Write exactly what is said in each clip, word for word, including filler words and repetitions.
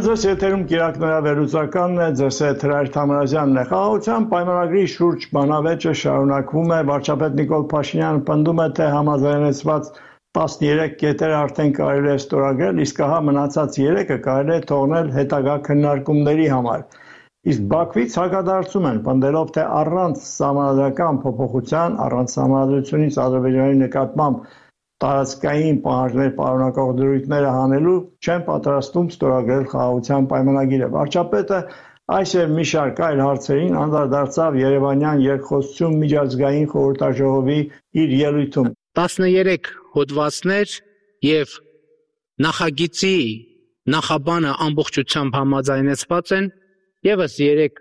ձեզ եթերում կիրակնորա վերլուծականն է, ձեզ հետ Հրայր Թամրազյանն է։ Խաղաղության պայմանագրի շուրջ բանավեճը շարունակվում է, վարչապետ Նիկոլ Փաշինյանը պնդում է, թե համաձայնեցված տասներեք կետերը արդեն կարելի է ստորագրել, իսկ ահա մնացած երեքը կարելի է թողնել հետագա քննարկումների համար։ Իսկ Բաքվից հակադարձում են, պնդելով, թե առանց սահմանադրական փոփոխության, առանց սահմանադրությունից Ադրբեջանի նկատմամբ տարածքային պահանջներ պարունակող դրույթները հանելու չեն պատրաստվում ստորագրել խաղաղության պայմանագիրը։ Վարչապետը այս եւ մի շարք այլ հարցերին անդրադարձավ Երևանյան երկխոսություն միջազգային խորհրդաժողովի իր ելույթում։ տասներեք հոդվածներ եւ նախագծի նախաբանը ամբողջությամբ համաձայնեցված են, եւս երեք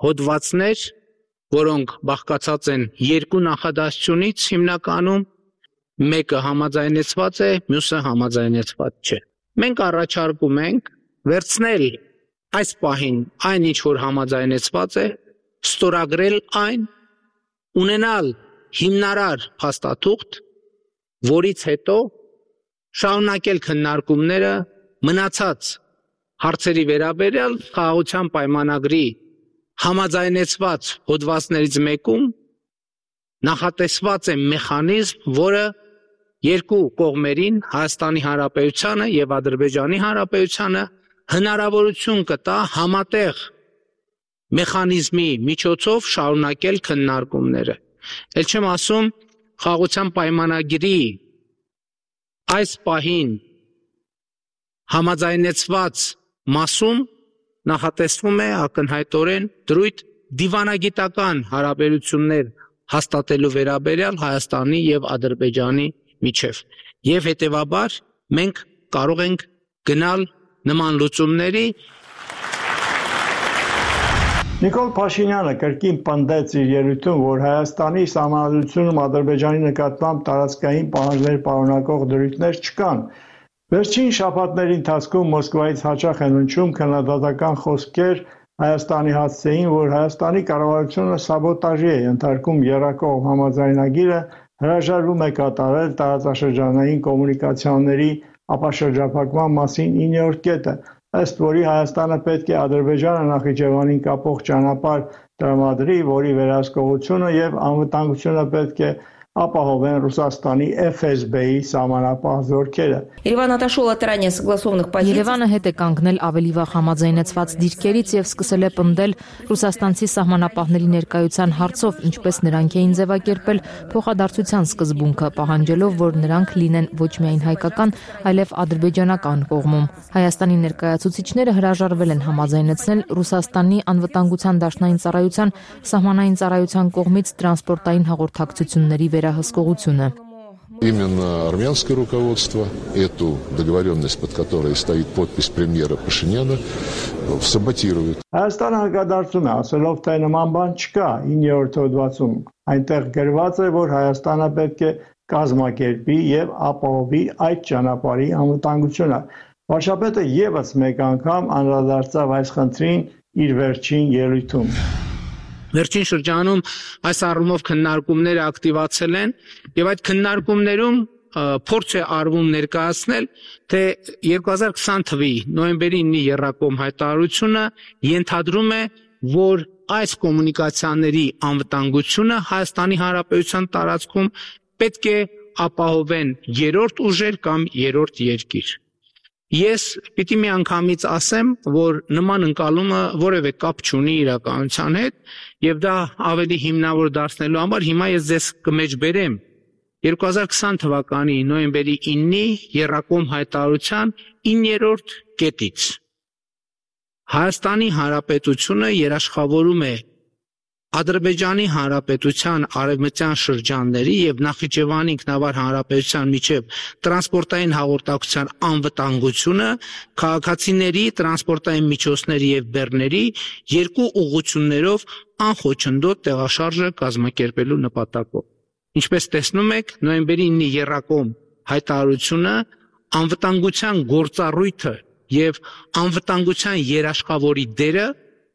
հոդվածներ, որոնք բաղկացած են երկու նախադասությունից հիմնականում, մեկը համաձայնեցված է, մյուսը համաձայնեցված չէ։ Մենք առաջարկում ենք վերցնել այս պահին այն, ինչ որ համաձայնեցված է, ստորագրել այն, ունենալ հիմնարար փաստաթուղթ, որից հետո շարունակել քննարկումները մնացած հարցերի վերաբերյալ խաղաղության պայմանագրի համաձայնեցված հոդվածներից մեկում նախատեսված է մեխանիզմ, որը երկու կողմերին, Հայաստանի Հանրապետությանը եւ Ադրբեջանի Հանրապետությանը հնարավորություն կտա համատեղ մեխանիզմի միջոցով շարունակել քննարկումները։ Էլ չեմ ասում խաղաղության պայմանագրի այս պահին համաձայնեցված մասում նախատեսվում է ակնհայտորեն դրույթ դիվանագիտական հարաբերություններ հաստատելու վերաբերյալ Հայաստանի եւ Ադրբեջանի միջև։ Եվ հետեւաբար մենք կարող ենք գնալ նման լուծումների։ Նիկոլ Փաշինյանը կրկին պնդեց իր ելույթում, որ Հայաստանի սահմանադրությունում Ադրբեջանի նկատմամբ տարածքային պահանջներ պարունակող դրույթներ չկան։ Վերջին շաբաթների ընթացքում Մոսկվայից հաճախ են հնչում քննադատական խոսքեր Հայաստանի հասցեին, որ Հայաստանի կառավարությունը սաբոտաժի է ենթարկում եռակողմ համաձայնագիրը, հրաժարվում է կատարել տարածաշրջանային կոմունիկացիաների ապաշրջափակման մասին իններորդ կետը, ըստ որի Հայաստանը պետք է Ադրբեջանը Նախիջևանին կապող ճանապարհ տրամադրի, որի վերահսկողությունը եւ անվտանգությունը պետք է ապահովեն Ռուսաստանի Էֆ Էս Բի-ի սահմանապահ զորքերը։ Երևանը հետ է կանգնել ավելի վաղ համաձայնեցված դիրքերից եւ սկսել է պնդել ռուսաստանցի սահմանապահների ներկայության հարցով, ինչպես նրանք էին ձևակերպել փոխադարձության սկզբունքը, պահանջելով, որ նրանք լինեն ոչ միայն հայկական, այլև ադրբեջանական կողմում։ Հայաստանի ներկայացուցիչները հրաժարվել են համաձայնեցնել Ռուսաստանի անվտանգության դաշնային ծառայության սահմանային ծառայության կողմից տրանսպորտային հաղորդակցությունների վերահսկողությունը։ Именно армянское руководство эту договоренность, под которой стоит подпись премьера Пашиняна, саботирует. Հայաստանը հակադարձում է, ասելով, թե նման բան չկա իններորդ հոդվածում։ Այնտեղ գրված է, որ Հայաստանը պետք է կազմակերպի եւ ապահովի այդ ճանապարհի անվտանգությունը։ Վարչապետը եւս մեկ անգամ անդրադարձավ այս խնդրին իր վերջին ելույթում։ Վերջին շրջանում այս առումով քննարկումները ակտիվացել են եւ այդ քննարկումներում փորձ է արվում ներկայացնել, թե երկու հազար քսան թվականի նոյեմբերի ինը եռակողմ հայտարարությունը ենթադրում է, որ այս կոմունիկացիաների անվտանգությունը Հայաստանի Հանրապետության տարածքում պետք է ապահովեն երրորդ ուժեր կամ երրորդ երկիր։ Ես պիտի մի անգամից ասեմ, որ նման ընկալումը որևէ կապ չունի իրականության հետ եւ դա ավելի հիմնավոր դարձնելու համար հիմա ես ձեզ կմեջբերեմ երկու հազար քսան թվականի նոյեմբերի ինը եռակողմ հայտարարության իններորդ կետից Հայաստանի Հանրապետությունը երաշխավորում է Ադրբեջանի Հանրապետության արևմտյան շրջանների եւ Նախիջևանի ինքնավար հանրապետության միջև տրանսպորտային հաղորդակցության անվտանգությունը քաղաքացիների, տրանսպորտային միջոցների եւ բեռների երկու ուղղություններով անխոչնդոտ տեղաշարժը կազմակերպելու նպատակով։ Ինչպես տեսնում եք, նոյեմբերի ինը եռակողմ հայտարարությունը անվտանգության գործառույթը եւ անվտանգության երաշխավորի դերը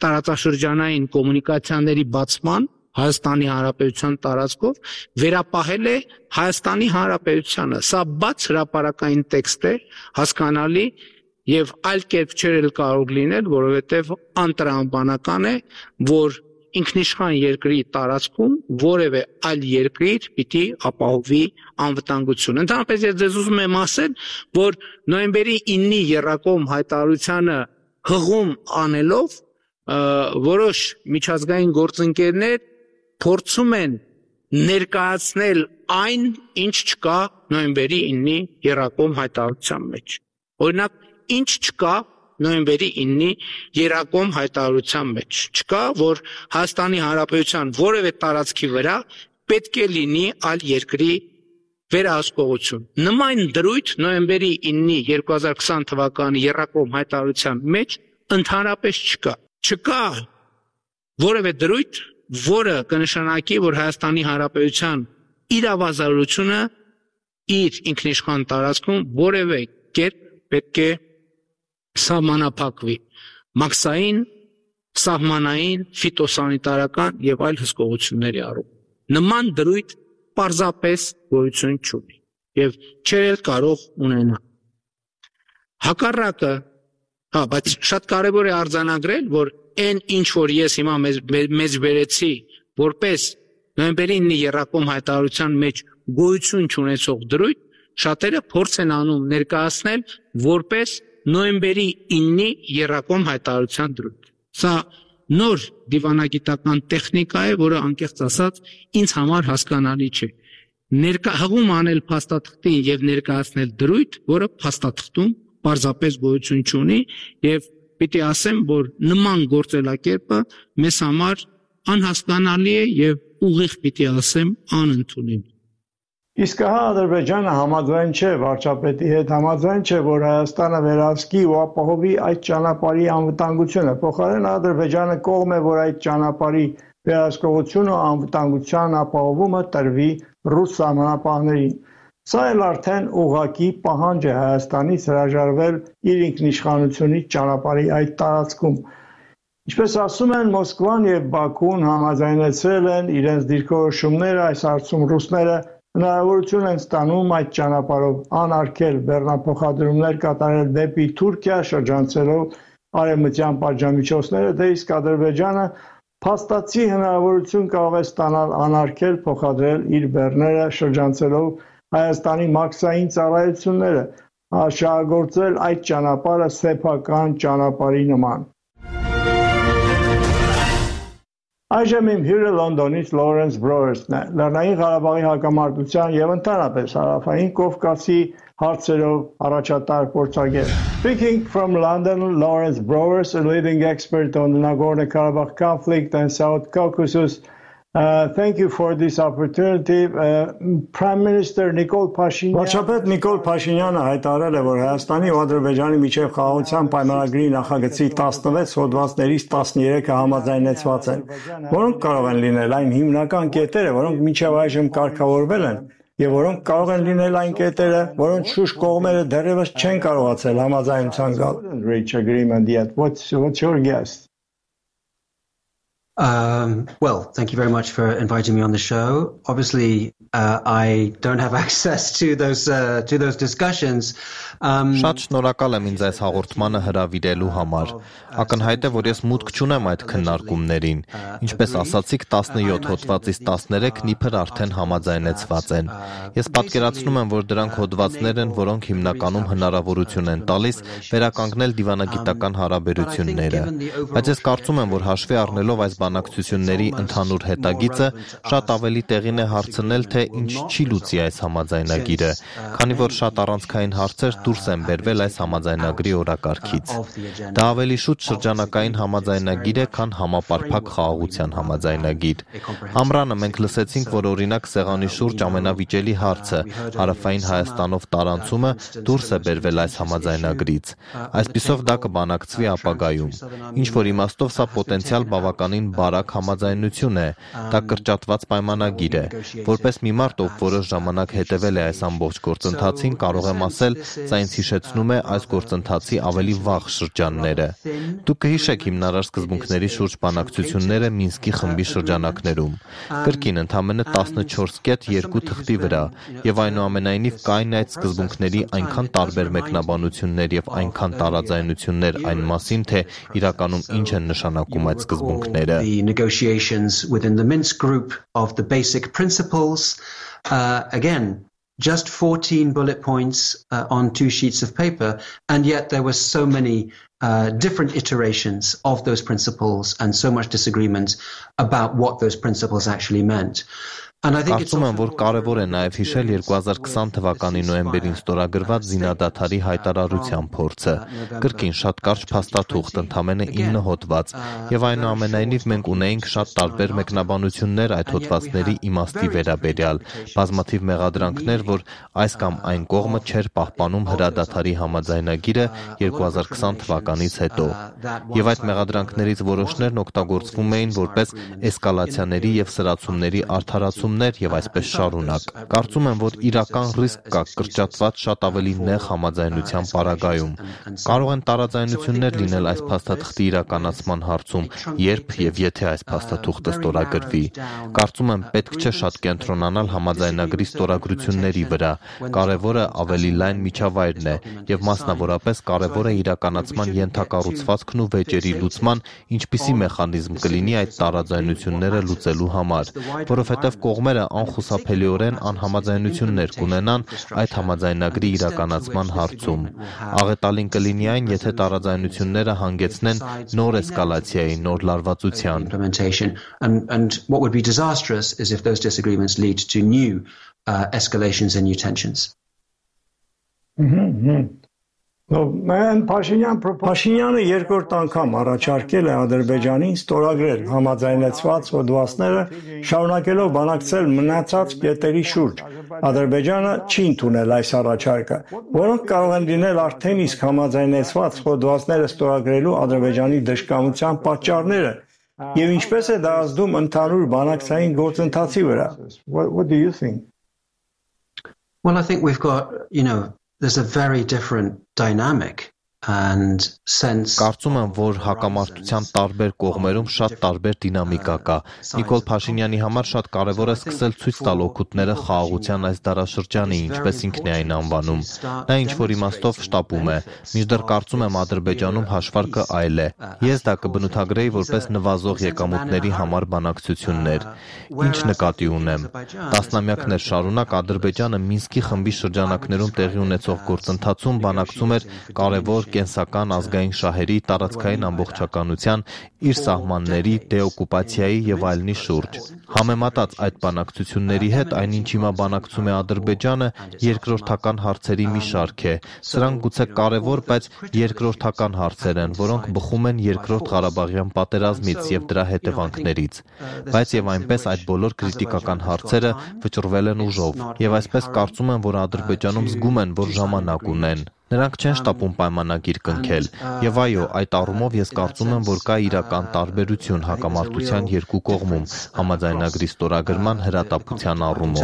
տարածաշրջանային կոմունիկացիաների բացման Հայաստանի Հանրապետության տարածքով վերապահել է Հայաստանի Հանրապետությանը։ Սա բաց հրապարակային տեքստ է, հասկանալի եւ այլ կերպ չէր կարող լինել, որովհետեւ անտրամաբանական է, որ ինքնիշխան երկրի տարածքում որևէ այլ երկիր պիտի ապահովի անվտանգություն։ Ընդհանրապես ես ձեզ ուզում եմ ասել, որ նոյեմբերի իննի եռակողմ հայտարարությանը հղում անելով որոշ միջազգային գործընկերներ փորձում են ներկայացնել այն, ինչ չկա նոյեմբերի իննի եռակողմ հայտարարության մեջ։ Օրինակ, ինչ չկա նոյեմբերի իննի եռակողմ հայտարարության մեջ։ Չկա, որ Հայաստանի Հանրապետության որևէ տարածքի վրա պետք է լինի այլ երկրի վերահսկողություն։ Նման դրույթ նոյեմբերի իննի երկու հազար քսան թվականի եռակողմ հայտարարության մեջ ընդհանրապես չկա։ Չկա որևէ դրույթ, որը կնշանակի, որ Հայաստանի Հանրապետության իրավազորությունը իր ինքնիշխան տարածքում որևէ կերպ պետք է սահմանափակվի մաքսային, սահմանային, ֆիտոսանիտարական եւ այլ հսկողությունների առումով։ Նման դրույթ պարզապես գոյություն չունի եւ չէր կարող ունենալ։ Հակառակը, հա, բայց շատ կարեւոր է արձանագրել, որ այն ինչ որ ես հիմա մեզ, մեզ բերեցի որպես նոյեմբերի իննի եռակողմ հայտարարության մեջ գոյություն չունեցող դրույթ, շատերը փորձ են անում ներկայացնել որպես նոյեմբերի իննի եռակողմ հայտարարության դրույթ։ Սա նոր դիվանագիտական տեխնիկա է, որը անկեղծ ասած ինձ համար հասկանալի չէ։ Ներկա հղում անել փաստաթղթին եւ ներկայացնել դրույթ, որը փաստաթղթում պարզապես գոյություն չունի եւ պիտի ասեմ, որ նման գործելակերպը մեզ համար անհասկանալի է եւ ուղիղ պիտի ասեմ անընդունելի։ Իսկ հա Ադրբեջանը համաձայն չէ վարչապետի հետ, համաձայն չէ, որ Հայաստանը վերահսկի ու ապահովի այդ ճանապարհի անվտանգությունը։ Փոխարենն Ադրբեջանը կողմ է, որ այդ ճանապարհի վերահսկողությունը ու անվտանգության ապահովումը տրվի ռուս սահմանապահներին։ Սա էլ արդեն ուղղակի պահանջ է Հայաստանից հրաժարվել իր ինքնիշխանությունից ճանապարհի այդ տարածքում։ Ինչպես ասում են, Մոսկվան եւ Բաքուն համաձայնեցրել են իրենց դիրքորոշումները այս հարցում ռուսները հնարավորություն են ստանում այդ ճանապարհով անարգել բեռնափոխադրումներ կատարել դեպի Թուրքիա, շրջանցելով արևմտյան պատժամիջոցները, դե իսկ Ադրբեջանը փաստացի հնարավորություն կարող է ստանալ անարգել փոխադրել իր բեռները, շրջանցելով Հայաստանի մաքսային ծառայությունները, շահագործել այդ ճանապարհը սեփական ճանապարհի նման։ Այժմ իմ հյուրը Լոնդոնից Լորենս Բրոերսն է, Լեռնային Ղարաբաղի հակամարտության եւ ընդհանրապես Հարավային Կովկասի հարցերով առաջատար փորձագետ։ Speaking from London, Lawrence Browers, a leading expert on the Nagorno-Karabakh conflict and South Caucasus. Uh, thank you for this opportunity. Uh, Prime Minister Nikol Pashinyan. Վարչապետ Նիկոլ Փաշինյանը հայտարարել է, որ Հայաստանի ու Ադրբեջանի միջև խաղաղության պայմանագրի նախագծի տասնվեց հոդվածներից տասներեքը համաձայնեցված են, որոնք կարող են լինել այն հիմնական կետերը, որոնք մինչև այժմ կարգավորվել են, եւ որոնք կարող են լինել այն կետերը, որոնց շուրջ կողմերը դեռևս չեն կարողացել համաձայնության գալ։ Reach agreement yet. What's what's your guess? Um, well, thank you very much for inviting me on the show. Obviously, uh, I don't have access to those uh, to those discussions. Um, Շատ շնորհակալ եմ ինձ այս հաղորդմանը հրավիրելու համար։ Ակնհայտ է, որ ես մուտք չունեմ այդ քննարկումներին։ Ինչպես ասացիք, տասնյոթ հոդվածից տասներեքն իբր արդեն համաձայնեցված են։ Ես պատկերացնում եմ, որ դրանք հոդվածներ են, որոնք հիմնականում հնարավորություն են տալիս վերականգնել դիվանագիտական հարաբերությունները։ Բայց ես կարծում եմ, որ հաշվի առնելով այս բանակցությունների ընդհանուր հետագիծը շատ ավելի տեղին է հարցնել, թե ինչ չի լուծի այս համաձայնագիրը, քանի որ շատ առանցքային հարցեր դուրս են բերվել այս համաձայնագրի օրակարգից։ Դա ավելի շուտ շրջանակային համաձայնագիր է, քան համապարփակ խաղաղության համաձայնագիր։ Ամռանը մենք լսեցինք, որ օրինակ սեղանի շուրջ ամենավիճելի հարցը հարավային Հայաստանով տարանցումը դուրս է բերվել այս համաձայնագրից։ Այսպիսով դա կբանակցվի ապագայում։ Ինչ որ իմաստով սա պոտենցիալ բավականին բարակ համաձայնություն է, դա կրճատված պայմանագիր է։ Որպես մի մարդ, ով որոշ ժամանակ հետևել է այս ամբողջ գործընթացին, կարող եմ ասել, սա ինձ հիշեցնում է այս գործընթացի ավելի վաղ շրջանները։ Դուք կհիշեք հիմնարար սկզբունքների շուրջ բանակցությունները Մինսկի խմբի շրջանակներում։ Կրկին ընդամենը տասնչորս կետ երկու թղթի վրա, եւ այնուամենայնիվ կային այդ սկզբունքների այնքան տարբեր մեկնաբանություններ եւ այնքան տարաձայնություններ այն մասին, թե իրականում ինչ են նշանակում այդ սկզբունքները։ The negotiations within the Minsk group of the basic principles, uh, again, just fourteen bullet points uh, on two sheets of paper, and yet there were so many uh, different iterations of those principles and so much disagreement about what those principles actually meant. Կարծում եմ, որ կարևոր է նաև հիշել երկու հազար քսան թվականի նոյեմբերին ստորագրված զինադադարի հայտարարության փորձը։ Կրկին շատ կարճ փաստաթուղթ, ընդամենը ինը հոդված, եւ այնուամենայնիվ մենք ունեինք շատ տարբեր մեկնաբանություններ այդ հոդվածների իմաստի վերաբերյալ, բազմաթիվ մեղադրանքներ, որ այս կամ այն կողմը չէր պահպանում հրադադարի համաձայնագիրը երկու հազար քսան թվականից հետո։ Եվ այդ մեղադրանքներից որոշներն օգտագործվում էին որպես էսկալացիաների եւ սրացումների արդարացում եւ այսպես շարունակ։ Կարծում եմ, որ իրական ռիսկ կա կրճատված շատ ավելի նեղ համաձայնության պարագայում։ Կարող են տարաձայնություններ լինել այս փաստաթղթի իրականացման հարցում, երբ եւ եթե այս փաստաթուղթը ստորագրվի։ Կարծում եմ, պետք չէ շատ կենտրոնանալ համաձայնագրի ստորագրությունների վրա։ Կարևորը ավելի լայն միջավայրն է եւ մասնավորապես կարևոր է իրականացման ենթակառուցվածքն ու վեճերի լուծման ինչպիսի մեխանիզմ կլինի այդ տարաձայնությունները լուծելու համար, որովհետեւ կողմերը անխուսափելիորեն անհամաձայնություններ կունենան այդ համաձայնագրի իրականացման հարցում։ Աղետալին կլինի այն, եթե տարաձայնությունները հանգեցնեն նոր էսկալացիայի, նոր լարվածության։ And, and what would be disastrous is if those disagreements lead to new uh, escalations and new tensions. Mm-hmm. Փաշինյանը երկրորդ անգամ առաջարկել է Ադրբեջանին ստորագրել համաձայնեցված հոդվածները, շարունակելով բանակցել մնացած կետերի շուրջ։ Ադրբեջանը չի ընդունել այս առաջարկը, որոնք կարող են լինել արդեն իսկ համաձայնեցված հոդվածները ստորագրելու Ադրբեջանի դժկամության պատճառները, եւ ինչպես է դա ազդում ընդհանուր բանակցային գործընթացի վրա։ What, what do you think? Well, I think we've got, you know, there's a very different dynamic and sense. Կարծում եմ, որ հակամարտության տարբեր կողմերում շատ տարբեր դինամիկա կա։ Նիկոլ Փաշինյանի համար շատ կարևոր է սկսել ցույց տալ օգուտները խաղաղության այս դարաշրջանի, ինչպես ինքն է այն անվանում։ Նա ինչ-որ իմաստով շտապում է, մինչդեռ կարծում եմ Ադրբեջանում հաշվարկը այլ է։ Ես դա կբնութագրեի որպես նվազող եկամուտների համար բանակցություններ։ Ինչ նկատի ունեմ։ Տասնամյակներ շարունակ Ադրբեջանը Մինսկի խմբի շրջանակներում տեղի ունեցող գործընթացում բանակցում էր կարևոր կենսական ազգային շահերի տարածքային ամբողջականության, իր սահմանների, դեօկուպացիայի եւ այլնի շուրջ։ Համեմատած այդ բանակցությունների հետ, այնինչ հիմա բանակցում է Ադրբեջանը, երկրորդական հարցերի մի շարք է։ Սրանք գուցե կարևոր, բայց երկրորդական հարցեր են, որոնք բխում են երկրորդ Ղարաբաղյան պատերազմից եւ դրա հետևանքներից։ Բայց եւ այնպես այդ բոլոր քրիտիկական հարցերը վճռվել են ուժով, եւ այսպես կարծում եմ, որ Ադրբեջանում զգում են, որ ժամանակ ունեն։ Նրանք չեն շտապում պայմանագիր կնքել, եւ այո, այդ առումով ես կարծում եմ, որ կա իրական տարբերություն հակամարտության երկու կողմում համաձայնագրի ստորագրման հրատապության առումով։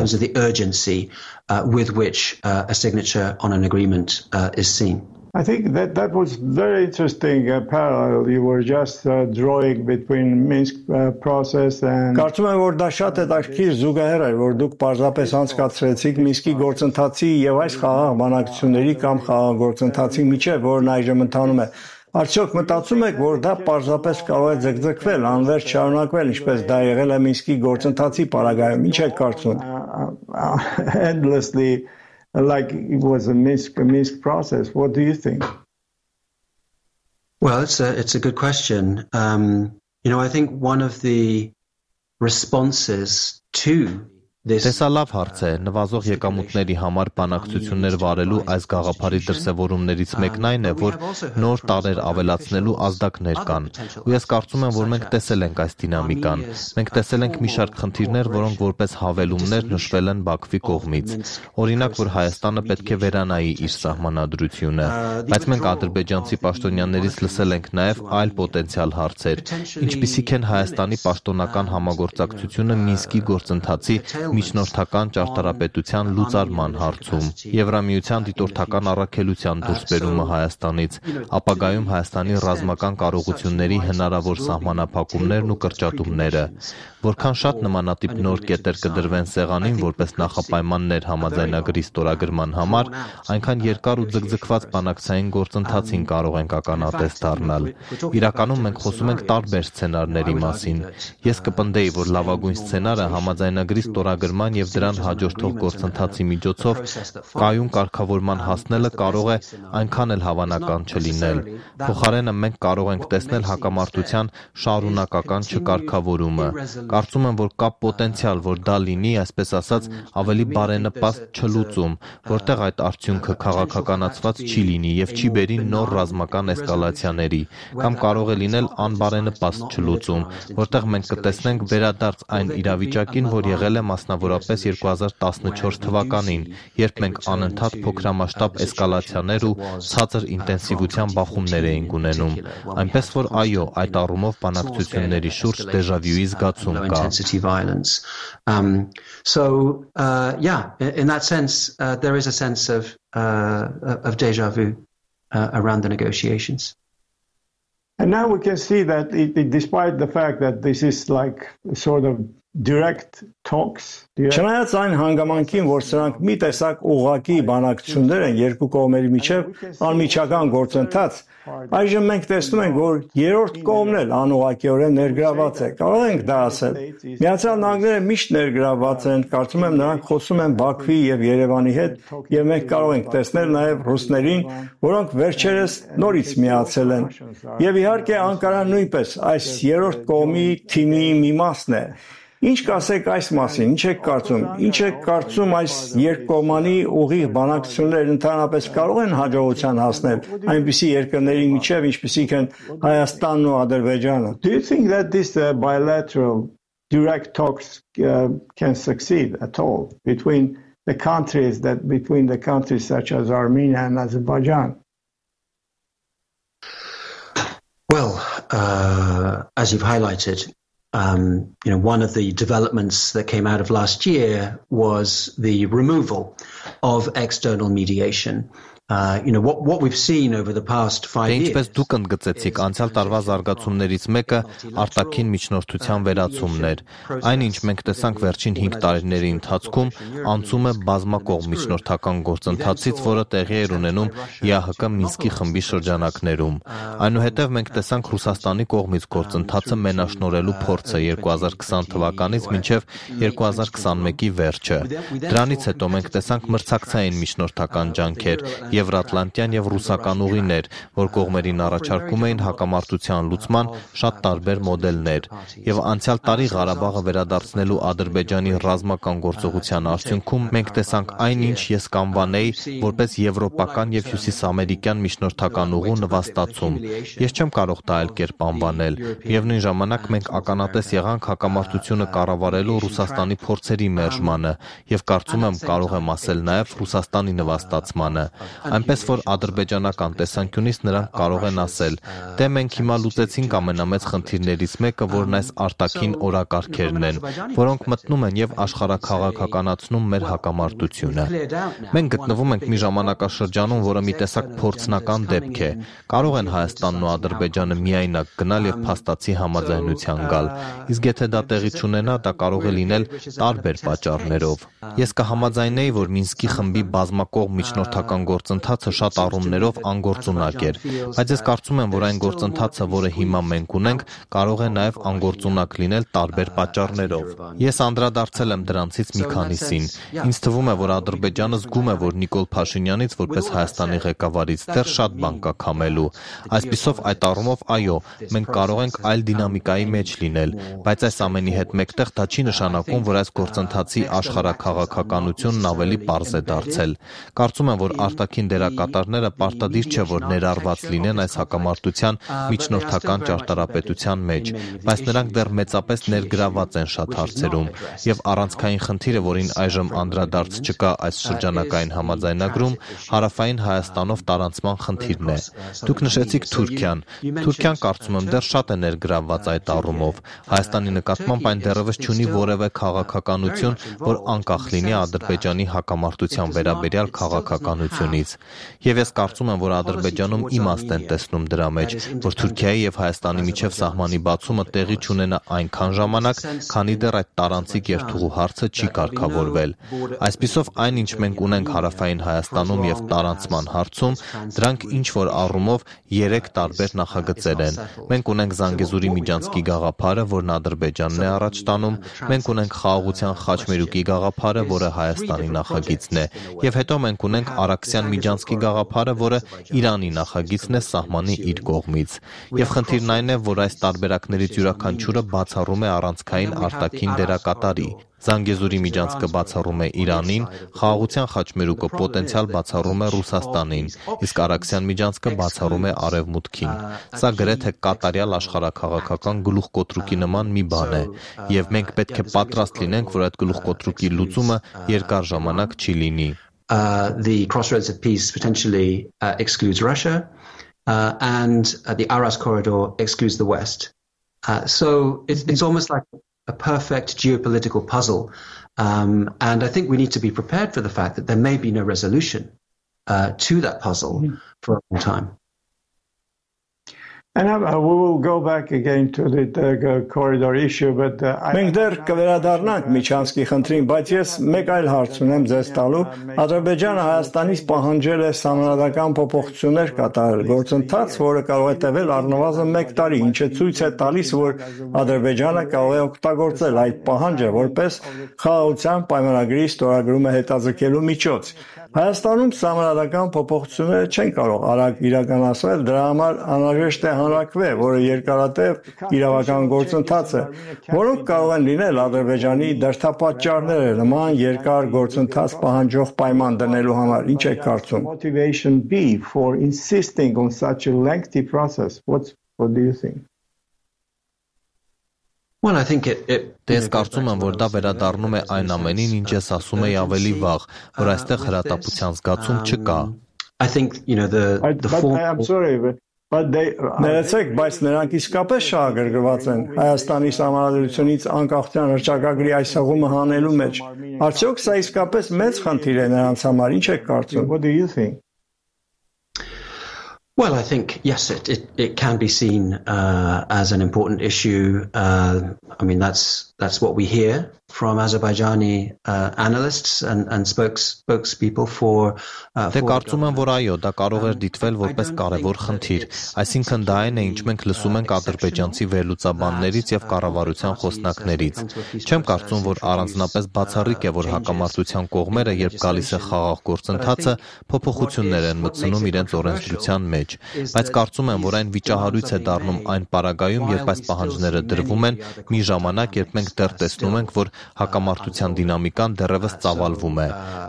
I think that that was very interesting uh, parallel you were just uh, drawing between Minsk uh, process and Կարծում եմ, որ դա շատ հետաքրքիր զուգահեռ էր, որ դուք պարզապես անցկացրեցիք Մինսկի գործընթացի եւ այս խաղաղ բանակցությունների կամ խաղաղ գործընթացի միջեւ, որն այժմ ընթանում է։ Արդյոք մտածում եք, որ դա պարզապես կարող է ձգձգվել, անվերջ շարունակվել, ինչպես դա եղել է Մինսկի գործընթացի պարագայում։ Ինչ եք կարծում։ Endlessly like it was a Minsk, a Minsk process. What do you think? Well, it's a, it's a good question. Um, you know, I think one of the responses to Տեսա լավ հարց է, նվազող եկամուտների համար բանակցություններ վարելու այս գաղափարի դրսևորումներից մեկն այն է, որ նոր տարեր ավելացնելու ազդակներ կան։ Ու ես կարծում եմ, որ մենք տեսել ենք այս դինամիկան։ Մենք տեսել ենք մի շարք խնդիրներ, որոնք որպես հավելումներ նշվել են Բաքվի կողմից։ Օրինակ, որ Հայաստանը պետք է վերանայի իր սահմանադրությունը, բայց մենք ադրբեջանցի պաշտոնյաներից լսել ենք նաև այլ պոտենցիալ հարցեր, ինչպիսիք են Հայաստանի պաշտոնական համագործակցությունը Մինսկի գործընթացի միջնորդական ճարտարապետության լուծարման հարցում, Եվրամիության դիտորդական առաքելության դուրսբերումը Հայաստանից, ապագայում Հայաստանի ռազմական կարողությունների հնարավոր սահմանափակումներն ու կրճատումները, որքան շատ նմանատիպ նոր կետեր կդրվեն սեղանին որպես նախապայմաններ համաձայնագրի ստորագրման համար, այնքան երկար ու ձգձգված բանակցային գործընթացին կարող ենք ականատես դառնալ։ Իրականում մենք խոսում ենք տարբեր սցենարների մասին։ Ես կպնդեի, որ լավագույն սցենարը համաձայնագրի ստորագրման եւ դրան հաջորդող գործընթացի միջոցով կայուն կարգավորման հասնելը կարող է այնքան էլ հավանական չլինել։ Փոխարենը մենք կարող ենք տեսնել հակամարտության շարունակական չկարգավորումը։ Կարծում եմ, որ կա պոտենցիալ, որ դա լինի, այսպես ասած, ավելի բարենպաստ չլուծում, որտեղ այդ արդյունքը քաղաքականացված չի լինի եւ չի բերի նոր ռազմական էսկալացիաների, կամ կարող է լինել անբարենպաստ չլուծում, որտեղ մենք կտեսնենք վերադարձ այն իրավիճակին, որ եղել է մասնավորապես երկու հազար տասնչորս թվականին, երբ մենք անընդհատ փոքրամասշտաբ էսկալացիաներ ու ցածր ինտենսիվության բախումներ էինք ունենում, այնպես որ այո, այդ առումով բանակցությունների շուրջ դեժավյուի զգացում կա։ Um, so, uh, yeah, in that sense, uh, there is a sense of, uh, of deja vu uh, around the negotiations. And now we can see that it, it, despite the fact that this is like sort of direct talks. Չնայած այն հանգամանքին, որ սրանք մի տեսակ ուղղակի բանակցություններ են երկու կողմերի միջև անմիջական գործընթաց, այժմ մենք տեսնում ենք, որ երրորդ կողմն էլ անուղղակիորեն ներգրաված է։ Կարող ենք դա ասել։ Միացյալ Նահանգները միշտ ներգրաված են, կարծում եմ նրանք խոսում են Բաքվի եւ Երևանի հետ, եւ մենք կարող ենք տեսնել նաեւ ռուսներին, որոնք վերջերս նորից միացել են։ Եւ իհարկե Անկարան նույնպես այս երրորդ կողմի թիմի մի մասն է։ Ինչ կասեք այս մասին, ինչ եք կարծում, ինչ եք կարծում այս երկկողմանի ուղիղ բանակցությունները ընդհանրապես կարող են հաջողության հասնել այնպիսի երկրների միջև, ինչպիսիք են Հայաստանն ու Ադրբեջանը? Do you think that this uh, bilateral direct talks uh, can succeed at all between the countries that between the countries such as Armenia and Azerbaijan? Well, uh, as you've highlighted, Um, you know, one of the developments that came out of last year was the removal of external mediation. Uh, you know, what, what we've seen over the past five years. Ինչպես դուք ընդգծեցիք, անցյալ տարվա զարգացումներից մեկը արտաքին միջնորդության վերացումն էր։ Այն, ինչ մենք տեսանք վերջին հինգ տարիների ընթացքում, անցում է բազմակողմ միջնորդական գործընթացից, որը տեղի էր ունենում ԵԱՀԿ Մինսկի խմբի շրջանակներում։ Այնուհետև մենք տեսանք Ռուսաստանի կողմից գործընթացը մենաշնորհելու փորձը երկու հազար քսան թվականից մինչև երկու հազար քսանմեկի վերջը։ Դրանից հետո մենք տեսանք մրցակցային միջնորդական ջանքեր, Եվրատլանտյան եւ ռուսական ուղիներ, որ կողմերին առաջարկում էին հակամարտության լուծման շատ տարբեր մոդելներ, եւ անցյալ տարի Ղարաբաղը վերադարձնելու Ադրբեջանի ռազմական գործողության արդյունքում մենք տեսանք այնինչ ես կանվանեի որպես եվրոպական եւ հյուսիսամերիկյան միջնորդական ուղու նվաստացում։ Ես չեմ կարող դա այլ կերպ անվանել, միևնույն ժամանակ մենք ականատես եղանք հակամարտությունը կառավարելու Ռուսաստանի փորձերի մերժմանը եւ կարծում եմ կարող եմ ասել նաեւ Ռուսաստանի նվաստացմանը։ Այնպես որ ադրբեջանական տեսանկյունից նրանք կարող են ասել. «Դե մենք հիմա լուծեցինք ամենամեծ խնդիրներից մեկը, որն այս արտաքին օրակարգերն են, որոնք մտնում են եւ աշխարհաքաղաքականացնում մեր հակամարտությունը»։ Մենք գտնվում ենք մի ժամանակաշրջանում, որը մի տեսակ փորձնական դեպք է։ Կարող են Հայաստանն ու Ադրբեջանը միայնակ գնալ եւ փաստացի համաձայնության գալ։ Իսկ եթե դա տեղի չունենա, դա կարող է լինել տարբեր պատճառներով։ Ես կհամաձայնեի, որ Մինսկի խմբի բազմակողմ միջնորդական գործ գործընթացը շատ առումներով անգործունակ էր, բայց ես կարծում եմ, որ այն գործընթացը, որը հիմա մենք ունենք, կարող է նաև անգործունակ լինել տարբեր պատճառներով։ Ես անդրադարձել եմ դրանցից մի քանիսին։ Ինձ թվում է, որ Ադրբեջանը զգում է, որ Նիկոլ Փաշինյանից որպես Հայաստանի ղեկավարից դեռ շատ բան կա քամելու։ Այսպիսով, այդ առումով, այո, մենք կարող ենք այլ դինամիկայի մեջ լինել, բայց այս ամենի հետ մեկտեղ դա չի նշանակում, որ այս գործընթացի աշխարհաքաղաքականությունն ավելի պարզ է դարձել։ Կարծում եմ, որ արտաքին դերակատարները պարտադիր չէ, որ ներառված լինեն այս հակամարտության միջնորդական ճարտարապետության մեջ, բայց նրանք դեռ մեծապես ներգրաված են շատ հարցերում, եւ առանցքային խնդիրը, որին այժմ անդրադարձ չկա այս շրջանակային համաձայնագրում, հարավային Հայաստանով տարանցման խնդիրն է։ Դուք նշեցիք Թուրքիան։ Թուրքիան, կարծում եմ, դեռ շատ է ներգրավված այդ առումով։ Հայաստանի նկատմամբ այն դեռևս չունի որևէ քաղաքականություն, որ անկախ լինի Ադրբեջանի հակամարտության վերաբերյալ քաղաքականությունից։ Եվ ես կարծում եմ, որ Ադրբեջանում իմաստ են տեսնում դրա մեջ, որ Թուրքիայի եւ Հայաստանի միջև սահմանի բացումը տեղի չունենա այնքան ժամանակ, քանի դեռ այդ տարանցիկ երթուղու հարցը չի կարգավորվել։ Այսպիսով, այն, ինչ մենք ունենք հարավային Հայաստանում եւ տարանցման հարցում, դրանք ինչ որ առումով երեք տարբեր նախագծեր են։ Մենք ունենք Զանգեզուրի միջանցքի գաղափարը, որն Ադրբեջանն է առաջ տանում, մենք ունենք Խաղաղության խաչմերուկի գաղափարը, որը Հայաստանի նախագիծն է, եւ հետո մենք ունենք Արաքսյան միջանցքի գաղափարը, որը Իրանի նախագիծն է սահմանի իր կողմից։ Եվ խնդիրն այն է, որ այս տարբերակներից յուրաքանչյուրը բացառում է առանցքային արտաքին դերակատարի։ Զանգեզուրի միջանցքը բացառում է Իրանին, Խաղաղության խաչմերուկը պոտենցիալ բացառում է Ռուսաստանին, իսկ Արաքսյան միջանցքը բացառում է Արևմուտքին։ Սա գրեթե կատարյալ աշխարհաքաղաքական գլուխկոտրուկի նման մի բան է, եւ մենք պետք է պատրաստ լինենք, որ այդ գլուխկոտրուկի լուծումը երկար ժամանակ չի լինի։ Uh, the crossroads of peace potentially uh, excludes Russia, uh, and uh, the Aras corridor excludes the West. Uh, so it's, it's almost like a perfect geopolitical puzzle. Um, and I think we need to be prepared for the fact that there may be no resolution uh, to that puzzle mm-hmm. for a long time. And uh, we will go back again to the, the corridor issue, but uh, մենք դեռ կվերադառնանք Միջանցքի խնդրին, բայց ես մեկ այլ հարց ունեմ ձեզ տալու։ Ադրբեջանը Հայաստանից պահանջել է սահմանադրական փոփոխություններ կատարել, գործընթաց, որը կարող է տևել առնվազն մեկ տարի, ինչը ցույց է տալիս, որ Ադրբեջանը կարող է օգտագործել այդ պահանջը որպես խաղաղության պայմանագրի ստորագրումը հետաձգելու միջոց։ Հայաստանում սահմանադրական փոփոխությունները չեն կարող արագ իրականացնել, դրա համար անհրաժեշտ է հանրակրվե, որը երկարատև իրավական գործընթաց է, որոնք կարող են լինել Ադրբեջանի դրդապատճառները նման երկար գործընթաց պահանջող պայման դնելու համար։ Ինչ եք կարծում? Motivation be for insisting on such a lengthy process. What what do you think? Well, I think it it Ես կարծում եմ, որ դա վերադառնում է այն ամենին, ինչ ես ասում եի ավելի վաղ, որ այստեղ հրատապության զգացում չկա։ I think, you know, the the form I'm sorry, but but they Ներեցեք, բայց նրանք իսկապես շահագրգռված են Հայաստանի Սահմանադրությունից անկախության հռչակագրի այս հղումը հանելու մեջ։ Արդյոք սա իսկապես մեծ խնդիր է նրանց համար, ինչ եք կարծում? What do you think? Well, I think, yes, it, it, it can be seen uh, as an important issue. Uh, I mean, that's that's what we hear from Azerbaijani uh, analysts and, and spokes, spokespeople for... Uh, Դե կարծում եմ, որ այո, դա կարող էր դիտվել որպես կարևոր խնդիր, այսինքն դա այն է, ինչ մենք լսում ենք ադրբեջանցի վերլուծաբաններից եւ կառավարության խոսնակներից։ Չեմ կարծում, որ առանձնապես բացառիկ է, որ հակամարտության կողմերը, երբ գալիս է խաղաղ գործընթացը, փոփոխություններ են մտցնում իրենց օրենսդրության մեջ, բայց կարծում եմ, որ այն վիճահարույց է դառնում այն պարագայում, երբ այս պահանջները դրվում են, մի ժամանակ, երբ մենք դեռ տեսնում ենք, որ հակամարտության դինամիկան դեռևս ծավալվում է։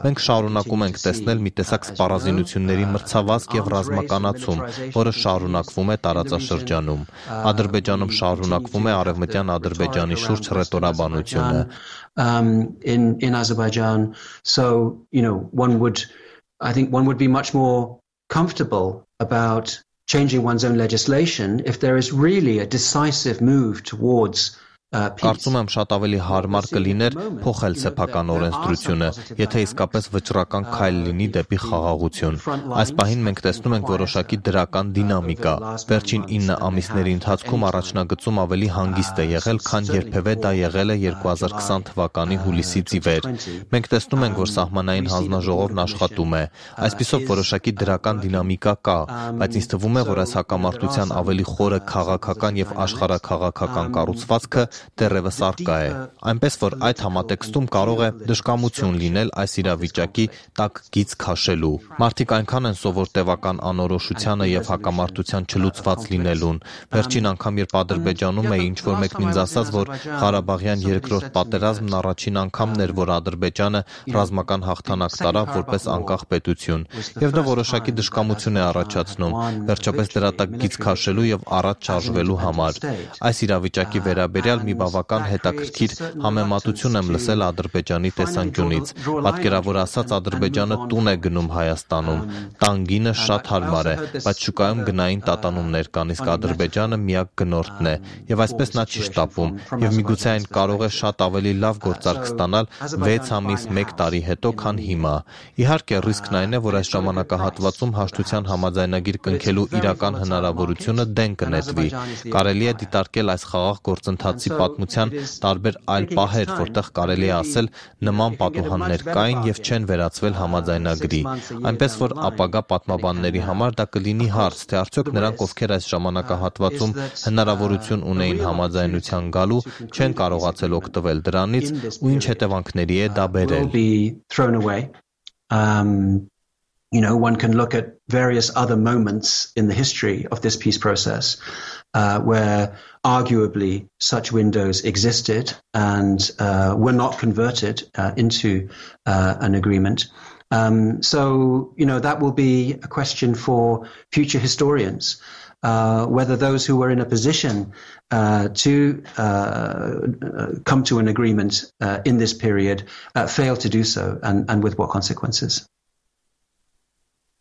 Մենք շարունակում ենք տեսնել մի տեսակ սպառազինությունների մրցավազք եւ ռազմականացում, որը շարունակվում է տարածաշրջանում։ Ադրբեջանում շարունակվում է արևմտյան Ադրբեջանի շուրջ ռետորաբանությունը։ Um in in Azerbaijan, so you know, one would I think one would be much more comfortable about changing one's own legislation if there is really a decisive move towards Կարծում եմ շատ ավելի հարմար կլիներ փոխել սեփական օրենսդրությունը, եթե իսկապես վճռական քայլ լինի դեպի խաղաղություն։ Այս պահին մենք տեսնում ենք որոշակի դրական դինամիկա։ Վերջին ինը ամիսների ընթացքում առաջնագծում ավելի հանգիստ է եղել, քան երբևէ դա եղել է երկու հազար քսան թվականի հուլիսից ի վեր։ Մենք տեսնում ենք, որ սահմանային հանձնաժողովն աշխատում է։ Այսպիսով որոշակի դրական դինամիկա կա, բայց ինձ թվում է, որ այս հակամարտության ավելի խորը քաղաքական եւ աշխարհաքաղաքական կառուցվածքը դեռևս առկա է։ Այնպես որ այդ համատեքստում կարող է դժկամություն լինել այս իրավիճակի տակ գիծ քաշելու։ Մարդիկ այնքան են սովոր տևական անորոշությանը եւ հակամարտության չլուծված լինելուն։ Վերջին անգամ երբ Ադրբեջանում էի, ինչ որ մեկն ինձ ասաց, որ Ղարաբաղյան երկրորդ պատերազմն առաջին անգամն էր, որ Ադրբեջանը ռազմական հաղթանակ տարավ որպես անկախ պետություն, եւ դա որոշակի դժկամություն է առաջացնում, վերջապես դրա տակ գիծ քաշելու եւ առաջ շարժվելու համար։ Այս իրավիճակի վերաբերյալ մի բավական հետաքրքիր համեմատություն եմ լսել Ադրբեջանի տեսանկյունից։ Պատկերավոր ասած, Ադրբեջանը տուն է գնում Հայաստանում։ Տանգինը շատ հարմար է, բայց շուկայում գնային տատանումներ կան, իսկ Ադրբեջանը միակ գնորդն է, եւ այսպես նա չի շտապում, եւ միգուցե այն կարող է շատ ավելի լավ գործարք ստանալ վեց ամիս, մեկ տարի հետո, քան հիմա։ Իհարկե, ռիսկն այն է, որ այս ժամանակահատվածում հաշտության համաձայնագիր կնքելու իրական հնարավորությունը դեն կնետվի։ Կարելի է դիտարկել այս խաղաղ գործընթացի պատմության տարբեր այլ պահեր, որտեղ կարելի է ասել նման պատուհաններ կային եւ չեն վերածվել համաձայնագրի։ Այնպես որ ապագա պատմաբանների համար դա կլինի հարց, թե արդյոք նրանք, ովքեր այս ժամանակահատվածում հնարավորություն ունեին համաձայնության գալու, չեն կարողացել օգտվել դրանից ու ինչ հետևանքների է դա բերել։ Um, you know, one can look at various other moments in the history of this peace process uh, where arguably such windows existed and uh, were not converted uh, into uh, an agreement. Um, so, you know, that will be a question for future historians. Uh, whether those who were in a position uh, to uh, come to an agreement uh, in this period uh, failed to do so, and, and with what consequences.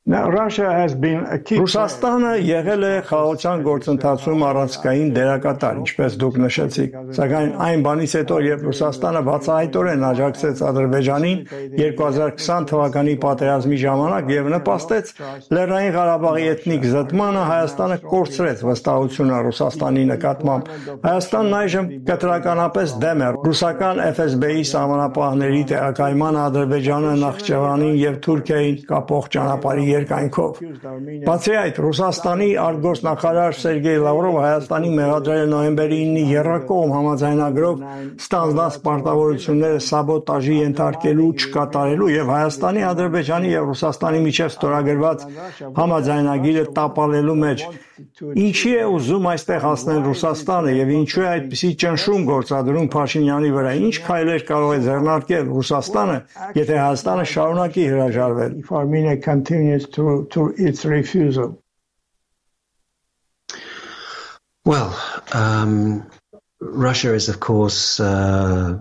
Now, Russia has been a key. Ռուսաստանը եղել է խաղաղության գործընթացում առանցքային դերակատար, ինչպես դուք նշեցիք։ Սակայն այն բանից հետո, երբ Ռուսաստանը բացահայտորեն աջակցեց Ադրբեջանին երկու հազար քսան թվականի պատերազմի ժամանակ եւ նպաստեց Լեռնային Ղարաբաղի էթնիկ զտմանը, Հայաստանը կորցրեց վստահությունը Ռուսաստանի նկատմամբ։ Հայաստանն այժմ կտրականապես դեմ է ռուսական Էֆ Էս Բի-ի սահմանապահների տեղակայման Ադրբեջանը, Նախճեվանին եւ Թուրքիային կապող ճանապարհի երկայնքով։ Բացի այդ, Ռուսաստանի արտգործնախարար Սերգեյ Լավրովը Հայաստանի մեղադրել է նոյեմբերի ինը եռակողմ համաձայնագրով ստանձնած պարտավորությունները սաբոտաժի ենթարկելու, չկատարելու եւ Հայաստանի, Ադրբեջանի եւ Ռուսաստանի միջև ստորագրված համաձայնագիրը տապալելու մեջ։ Ինչի է ուզում այստեղ հասնել Ռուսաստանը եւ ինչու է այդպիսի ճնշում գործադրում Փաշինյանի վրա։ Ինչ քայլեր կարող է ձեռնարկել Ռուսաստանը, եթե Հայաստանը շարունակի հրաժարվել։ If Armenia continues to to its refusal. Well, um, Russia is, of course, uh,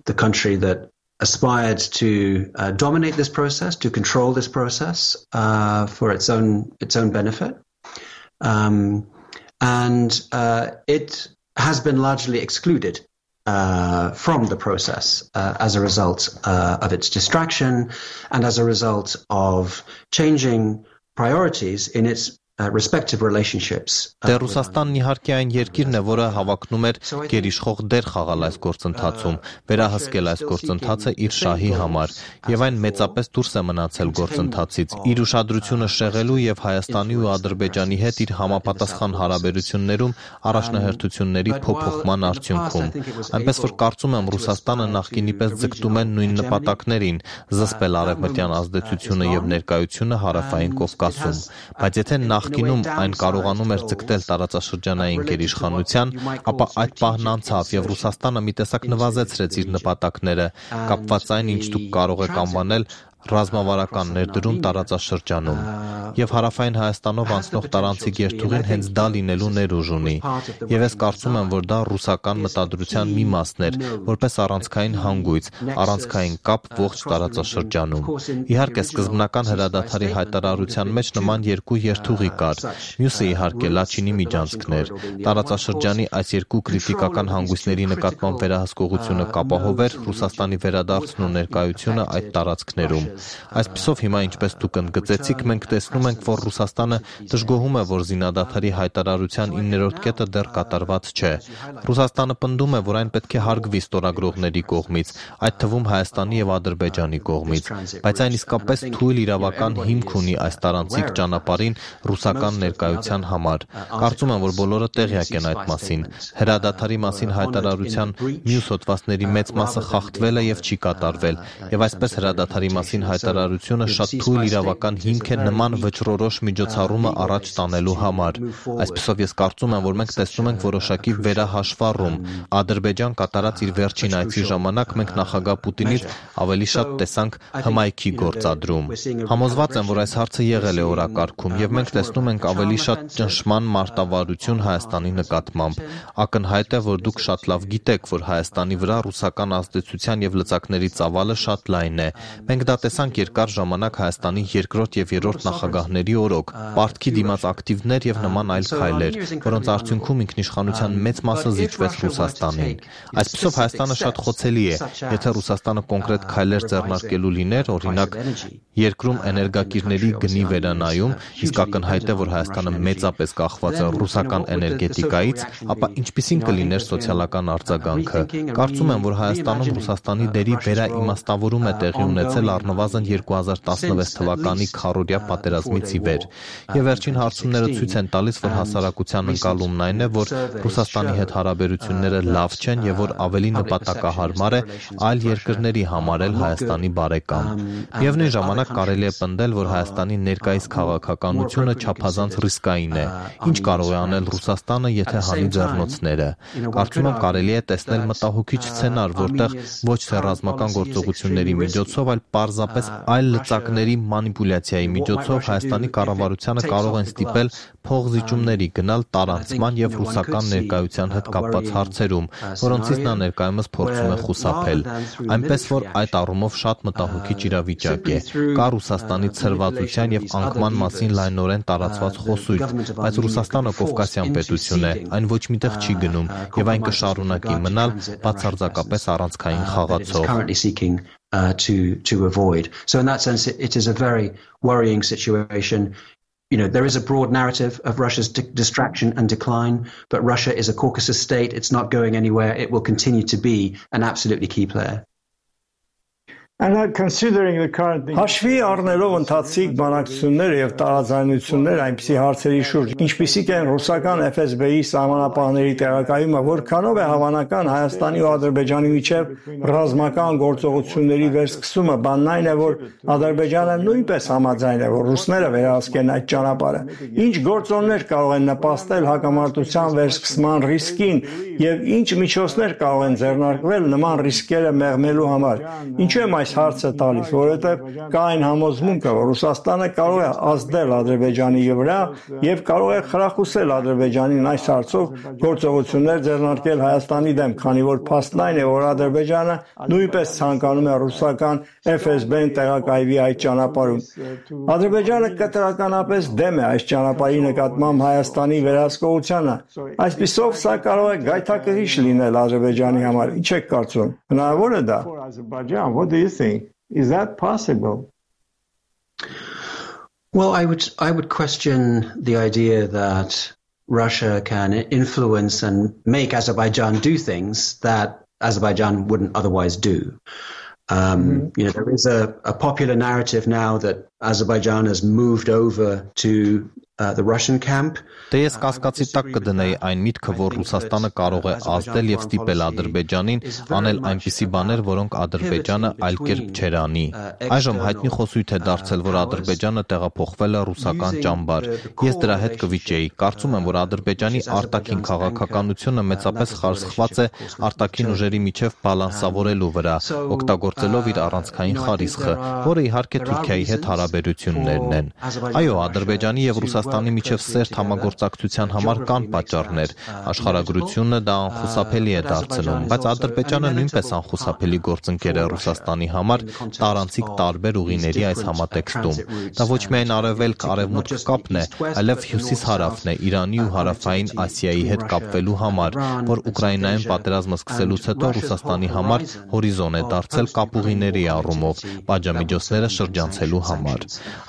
the country that aspired to uh, dominate this process, to control this process uh, for its own its own benefit. Um, and uh, it has been largely excluded uh, from the process uh, as a result uh, of its distraction and as a result of changing priorities in its uh, respective relationships. Դե Ռուսաստանն իհարկե այն երկիրն է, որը հավակնում էր գերիշխող դեր խաղալ այս գործընթացում, վերահսկել այս գործընթացը իր շահի համար, եւ այն մեծապես դուրս է մնացել գործընթացից, իր ուշադրությունը շեղելու եւ Հայաստանի ու Ադրբեջանի հետ իր համապատասխան հարաբերություններում առաջնահերթությունների փոփոխման արդյունքում։ Այնպես որ կարծում եմ Ռուսաստանը նախկինի պես ձգտում է նույն նպատակներին՝ զսպել արևմտյան ազդեցությունը եւ ներկայությունը Հարավային Կովկասում, բայց եթե նախկինում այն կարողանում էր ձգտել տարածաշրջանային գերիշխանության, ապա այդ պահն անցավ եւ Ռուսաստանը մի տեսակ նվազեցրեց իր նպատակները, կապված այն, ինչ դուք կարող եք անվանել ռազմավարական ներդրում տարածաշրջանում։ Եվ հարավային Հայաստանով անցնող տարանցիկ երթուղին հենց դա լինելու ներուժ ունի։ Եվ ես կարծում եմ, որ դա ռուսական մտադրության մի մասն էր, որպես առանցքային հանգույց, առանցքային կապ ողջ տարածաշրջանում։ Իհարկե, սկզբնական հրադադարի հայտարարության մեջ նման երկու երթուղի կար։ Մյուսը իհարկե Լաչինի միջանցքն էր։ Տարածաշրջանի այս երկու քրիտիկական հանգույցների նկատմամբ վերահսկողությունը կապահովեր Ռուսաստանի վերադարձն ու ներկայությունը այդ տարածքներում։ Այսպիսով հիմա, ինչպես դուք ընդգծեցիք, մենք տեսնում ենք, որ Ռուսաստանը դժգոհում է, որ զինադադարի հայտարարության իններորդ կետը դեռ կատարված չէ։ Ռուսաստանը պնդում է, որ այն պետք է հարգվի ստորագրողների կողմից, այդ թվում Հայաստանի եւ Ադրբեջանի կողմից, բայց այն իսկապես թույլ իրավական հիմք ունի այս տարանցիկ ճանապարհին ռուսական ներկայության համար։ Կարծում եմ, որ բոլորը տեղյակ են այդ մասին։ Հրադադարի մասին հայտարարության մյուս հոդվածների մեծ մասը խախտվել է եւ չի կատարվել, եւ այսպես հրադադարի մասին հայտարարությունը շատ թույլ իրավական հիմք է նման վճռորոշ միջոցառումը առաջ տանելու համար։ Այսպեսով ես կարծում եմ, որ մենք տեսնում ենք որոշակի վերահաշվառում։ Ադրբեջան կատարած իր վերջին այցի ժամանակ մենք նախագահ Պուտինից ավելի շատ տեսանք հմայքի գործադրում։ Համոզված եմ, որ այս հարցը եղել է օրակարգում, եւ մենք տեսնում ենք ավելի շատ ճնշման մարտավարություն Հայաստանի նկատմամբ։ Ակնհայտ է, որ դուք շատ լավ գիտեք, որ Հայաստանի վրա ռուսական ազդեցության եւ լծակների ծավալը շատ լայն է։ Մենք դա տեսանք երկար ժամանակ Հայաստանի երկրորդ եւ երրորդ նախագահների օրոք, պարտքի դիմաց ակտիվներ եւ նման այլ քայլեր, որոնց արդյունքում ինքնիշխանության մեծ մասը զիջվեց Ռուսաստանին։ Այսպիսով Հայաստանը շատ խոցելի է, եթե Ռուսաստանը կոնկրետ քայլեր ձեռնարկելու լիներ, օրինակ երկրում էներգակիրների գնի վերանայում, իսկ ակնհայտ է, որ Հայաստանը մեծապես կախված է ռուսական էներգետիկայից, ապա ինչպիսին կլիներ սոցիալական արձագանքը։ Կարծում եմ, որ Հայաստանում Ռուսաստանի դերի վերաիմաստավորում է տեղի ունեցել առնվազն երկու հազար տասնվեց թվականի քառօրյա պատերազմից ի վեր։ Եվ վերջին հարցումները ցույց են տալիս, որ հասարակության ընկալումն այն է, որ Ռուսաստանի հետ հարաբերությունները լավ չեն եւ որ ավելի նպատակահարմար է այլ երկրների համարել Հայաստանի բարեկամ։ Միևնույն ժամանակ կարելի է պնդել, որ Հայաստանի ներկայիս քաղաքականությունը չափազանց ռիսկային է։ Ինչ կարող է անել Ռուսաստանը, եթե հանի ձեռնոցները։ Կարծում եմ կարելի է տեսնել մտահոգիչ սցենար, որտեղ ոչ թե ռազմական գործողությունների միջոցով, այլ պարզապես այլ լծակների մանիպուլյացիայի միջոցով Հայաստանի կառավարությանը կարող են ստիպել փողզիջումների գնալ տարանցման եւ ռուսական ներկայության հետ կապված հարցերում, որոնցից նա ներկայումս փորձում է խուսափել։ Այնպես որ այդ առումով շատ մտահոգիչ իրավիճակ է։ Կա Ռուսաստանի ցրվածության եւ անկման մասին լայնորեն տարածված խոսույթ, բայց Ռուսաստանը կովկասյան պետություն է, այն ոչ միտեղ չի գնում եւ այն կշարունակի մնալ բացարձակապես առանցքային խաղացող։ Uh, to to avoid. So in that sense, it, it is a very worrying situation. You know, there is a broad narrative of Russia's di- distraction and decline, but Russia is a Caucasus state. It's not going anywhere. It will continue to be an absolutely key player. And considering the current Հաշվի առնելով ընթացիկ բանակցությունները եւ տարաձայնությունները այնպիսի հարցերի շուրջ, ինչպիսիք են ռուսական Էֆ Էս Բի-ի սահմանապահների տեղակայումը, որքանով է հավանական Հայաստանի ու Ադրբեջանի միջև ռազմական գործողությունների վերսկսումը, բանն այն է, որ Ադրբեջանը նույնպես համաձայն է, որ ռուսները վերահսկեն այդ ճանապարհը։ Ինչ գործոններ կարող են նպաստել հակամարտության վերսկսման ռիսկին եւ ինչ միջոցներ կարող են ձեռնարկվել նման ռիսկերը մեղմելու համար։ Ինչու եմ այս հարցը տալիս, որովհետև կա այն համոզմունքը, որ Ռուսաստանը կարող է ազդել Ադրբեջանի վրա եւ կարող է խրախուսել Ադրբեջանին այս հարցով գործողություններ ձեռնարկել Հայաստանի դեմ, քանի որ փաստն այն է, որ Ադրբեջանը նույնպես ցանկանում է ռուսական Էֆ Էս Բի-ն տեղակայվի այդ ճանապարհում։ Ադրբեջանը կտրականապես դեմ է այս ճանապարհի նկատմամբ Հայաստանի վերահսկողությանը։ Այսպիսով սա կարող է գայթակղիչ լինել Ադրբեջանի համար։ Ինչ եք կարծում։ Հնարավոր է դա։ What do you think? Is that possible? Well, I would I would question the idea that Russia can influence and make Azerbaijan do things that Azerbaijan wouldn't otherwise do. Um, mm-hmm. You know, there is a, a popular narrative now that Azerbaijan has moved over to uh, the Russian camp. Դե ես կասկածի տակ կդնեի այն միտքը, որ Ռուսաստանը կարող է ազդել եւ ստիպել Ադրբեջանին անել այնպիսի բաներ, որոնք Ադրբեջանը այլ կերպ չէր անի։ Այժմ հայտնի խոսույթ է դարձել, որ Ադրբեջանը տեղափոխվել է ռուսական ճամբար։ Ես դրա հետ կվիճեի։ Կարծում եմ, որ Ադրբեջանի արտաքին քաղաքականությունը մեծապես խարսխված է արտաքին ուժերի միջև բալանսավորելու վրա, օգտագործելով իր առանցքային խարիսխը, որը իհարկե Թուրքիայի հետ հարաբերություններն են։ Այո, Ադրբեջանի եւ Ռուսաստանի միջև սերտ համագործակցության համար կան պատճառներ։ Աշխարհագրությունը դա անխուսափելի է դարձնում, բայց Ադրբեջանը նույնպես անխուսափելի գործընկեր է Ռուսաստանի համար տարանցիկ տարբեր ուղիների այս համատեքստում։ Դա ոչ միայն արևելք-արևմուտք կապն է, այլև հյուսիս-հարավն է Իրանի ու հարավային Ասիայի հետ կապվելու համար, որ Ուկրաինայում պատերազմը սկսելուց հետո Ռուսաստանի համար հորիզոն է դարձել կապուղիների առումով, պատժամիջոցները շրջանցելու համար։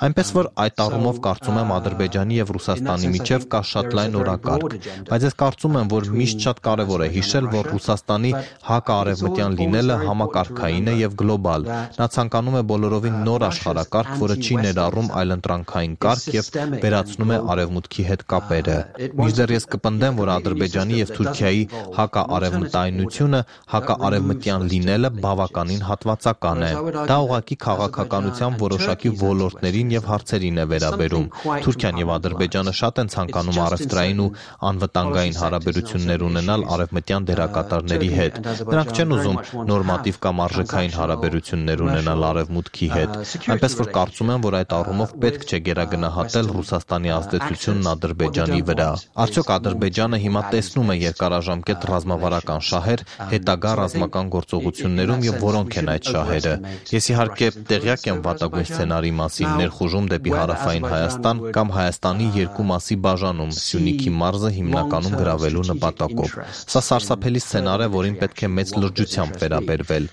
Այնպես որ այդ առումով կարծում եմ Ադրբեջանի եւ Ռուսաստանի միջև կա շատ լայն օրակարգ, բայց ես կարծում եմ, որ միշտ շատ կարևոր է հիշել, որ Ռուսաստանի հակաարևմտյան լինելը համակարգային է եւ գլոբալ։ Նա ցանկանում է բոլորովին նոր աշխարհակարգ, որը չի ներառում այլընտրանքային կարգ եւ վերացնում է արևմուտքի հետ կապերը։ Մինչդեռ ես կպնդեմ, որ Ադրբեջանի եւ Թուրքիայի հակաարևմտայնությունը, հակաարևմտյան լինելը բավականին հատվածական է։ Դա ուղղակի քաղաքականության որոշակի ոլորտներին եւ հարցերին է վերաբերում։ Թուրքիան եւ Ադրբեջանը շատ են ցանկանում առևտրային ու անվտանգային հարաբերություններ ունենալ արևմտյան դերակատարների հետ։ Նրանք չեն ուզում նորմատիվ կամ արժեքային հարաբերություններ ունենալ արևմուտքի հետ։ Այնպես որ կարծում եմ, որ այդ առումով պետք չէ գերագնահատել Ռուսաստանի ազդեցությունն Ադրբեջանի վրա։ Արդյոք Ադրբեջանը հիմա տեսնում է երկարաժամկետ ռազմավարական շահեր հետագա ռազմական գործողություններում եւ որոնք են այդ շահերը։ Ես իհարկե տեղյակ եմ վատագույն սցենարի մասին՝ ներխուժում դեպի հարավային Հայաստան կամ Հայաստանի երկու մասի բաժանում Սյունիքի մարզը հիմնականում գրավելու նպատակով։ Սա սարսափելի սցենար է, որին պետք է մեծ լրջությամբ վերաբերվել։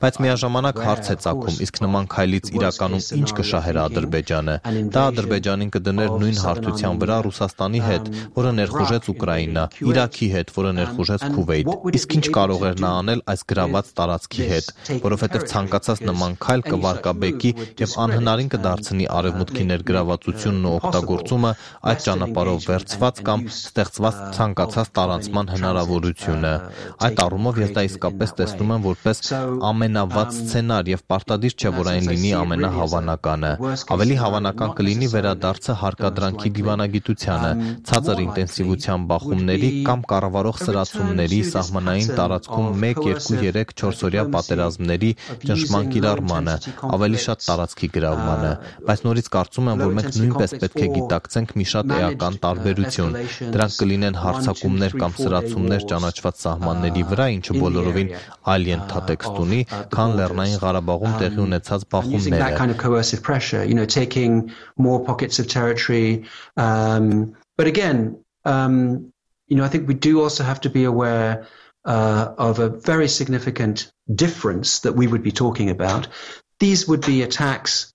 Բայց միաժամանակ հարց է ծագում, իսկ նման քայլից իրականում ինչ կշահեր Ադրբեջանը։ Դա Ադրբեջանին կդներ նույն հարթության վրա Ռուսաստանի հետ, որը ներխուժեց Ուկրաինա, Իրաքի հետ, որը ներխուժեց Քուվեյթ։ Իսկ ինչ կարող էր նա անել այս գրաված տարածքի հետ, որովհետև ցանկացած նման քայլ կվարկաբեկի եւ անհնարին կդարձնի արևմուտքի ներգրավվածությունն ու օգտագործումը այդ ճանապարհով վերցված կամ ստեղծված ցանկացած տարանցման հնարավորությունը։ Այդ առումով ես դա իսկապես տեսնում եմ որպես ամենավատ սցենար եւ պարտադիր չէ, որ այն լինի ամենահավանականը։ Ավելի հավանական կլինի վերադարձը հարկադրանքի դիվանագիտությանը, ցածր ինտենսիվության բախումների կամ կառավարող սրացումների սահմանային տարածքում մեկ, երկու, երեք, չորս օրյա պատերազմների ճնշման կիրառմանը, ավելի շատ տարածքի գրավմանը, բայց նորից կարծում եմ, որ մենք նույնպես պետք է գիտակցենք մի շատ էական տարբերություն։ Դրանք կլինեն հարձակումներ կամ սրացումներ ճանաչված սահմանների վրա, ինչը բոլորովին այլ ենթատեքստ ունի, քան Լեռնային Ղարաբաղում տեղի ունեցած բախումները։ But again, um, you know, I think we do also have to be aware uh, of a very significant difference that we would be talking about. These would be attacks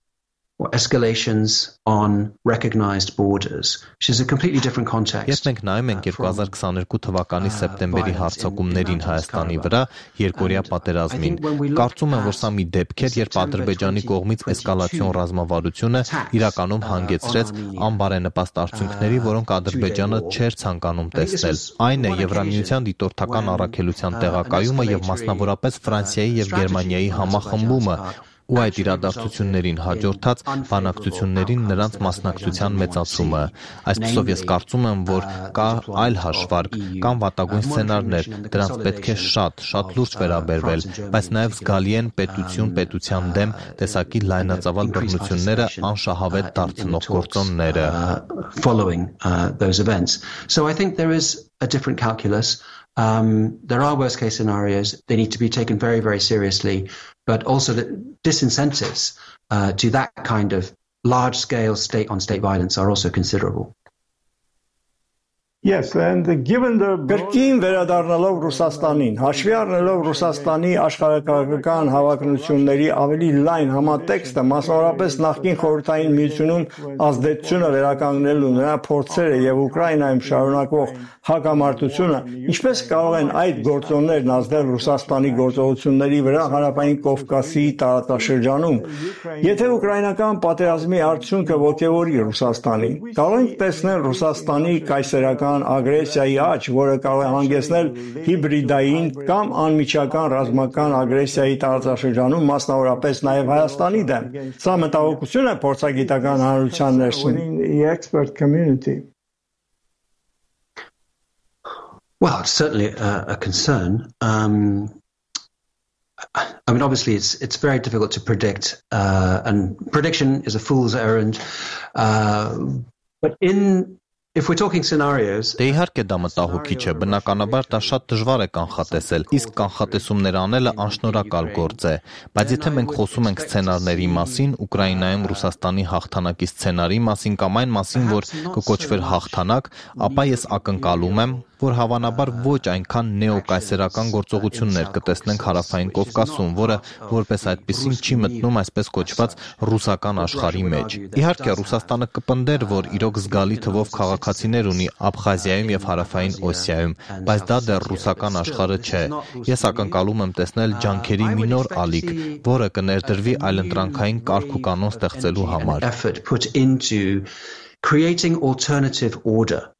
or escalations on recognized borders, which is a completely different context. Ես մենք նայում ենք երկու հազար քսաներկու թվականի սեպտեմբերի հարձակումներին Հայաստանի վրա երկօրյա պատերազմին։ Կարծում եմ, որ սա մի դեպք էր, երբ Ադրբեջանի կողմից էսկալացիոն ռազմավարությունը իրականում հանգեցրեց անբարենպաստ արդյունքների, որոնք Ադրբեջանը չէր ցանկանում տեսնել։ Այն է Եվրամիության դիտորդական առաքելության տեղակայումը եւ մասնավորապես Ֆրանսիայի եւ Գերմանիայի համախմբումը, ու այդ իրադարձություններին հաջորդած բանակցություններին նրանց մասնակցության մեծացումը։ Այսպիսով ես կարծում եմ, որ կա այլ հաշվարկ, կան վատագույն սցենարներ, դրանց պետք է շատ, շատ լուրջ վերաբերվել, բայց նաև զգալի են պետություն պետության դեմ տեսակի լայնածավալ բռնությունները անշահավետ դարձնող գործոնները։ Following uh, those events. So I think there is a different calculus. Um, there are worst case scenarios. They need to be taken very, very seriously. But also the disincentives uh, to that kind of large-scale state-on-state violence are also considerable. Yes, and given the Կրկին վերադառնալով Ռուսաստանին, հաշվի առնելով Ռուսաստանի աշխարհակաղակական հավակնությունների ավելի լայն համատեքստը, մասնավորապես նախկին խորհրդային միությունում ազդեցությունը վերականգնելու նրա փորձերը եւ Ուկրաինայում շարունակվող հակամարտությունը, ինչպես կարող են այդ գործոններն ազդել Ռուսաստանի գործողությունների վրա հարավային Կովկասի տարածաշրջանում, եթե ուկրաինական պատերազմի արդյունքը ոգևորի Ռուսաստանին, կարող ենք տեսնել Ռուսաստանի կայսերական ագրեսիայի աճ, որը կարող է հանգեցնել հիբրիդային կամ անմիջական ռազմական ագրեսիայի տարածաշրջանում, մասնավորապես նաև Հայաստանի դեմ։ Սա մտահոգություն է փորձագիտական հանրության ներսում։ Well, it's certainly a, a concern. Um, I mean, obviously, it's it's very difficult to predict, uh, and prediction is a fool's errand. Uh, but in If we're talking scenarios, Դե իհարկե դա մտահոգիչ է, բնականաբար դա շատ դժվար է կանխատեսել, իսկ կանխատեսումներ անելը անշնորհակալ գործ է, բայց եթե մենք խոսում ենք սցենարների մասին, Ուկրաինայում Ռուսաստանի հաղթանակի սցենարի մասին կամ այն մասին, որ կկոչվեր հաղթանակ, ապա ես ակնկալում եմ, որ հավանաբար ոչ այնքան նեոկայսերական գործողություններ կտեսնենք հարավային Կովկասում, որը որպես այդպեսին չի մտնում այսպես կոչված ռուսական աշխարհի մեջ։ Իհարկե Ռուսաստանը կպնդեր, որ իրոք զգալի թվով քաղաքացիներ ունի Աբխազիայում եւ հարավային Օսիայում, բայց դա դեռ ռուսական աշխարհը չէ։ Ես ակնկալում եմ տեսնել ջանքերի մի նոր ալիք, որը կներդրվի այլընտրանքային կարգ ու կանոն ստեղծելու համար։ Creating alternative order.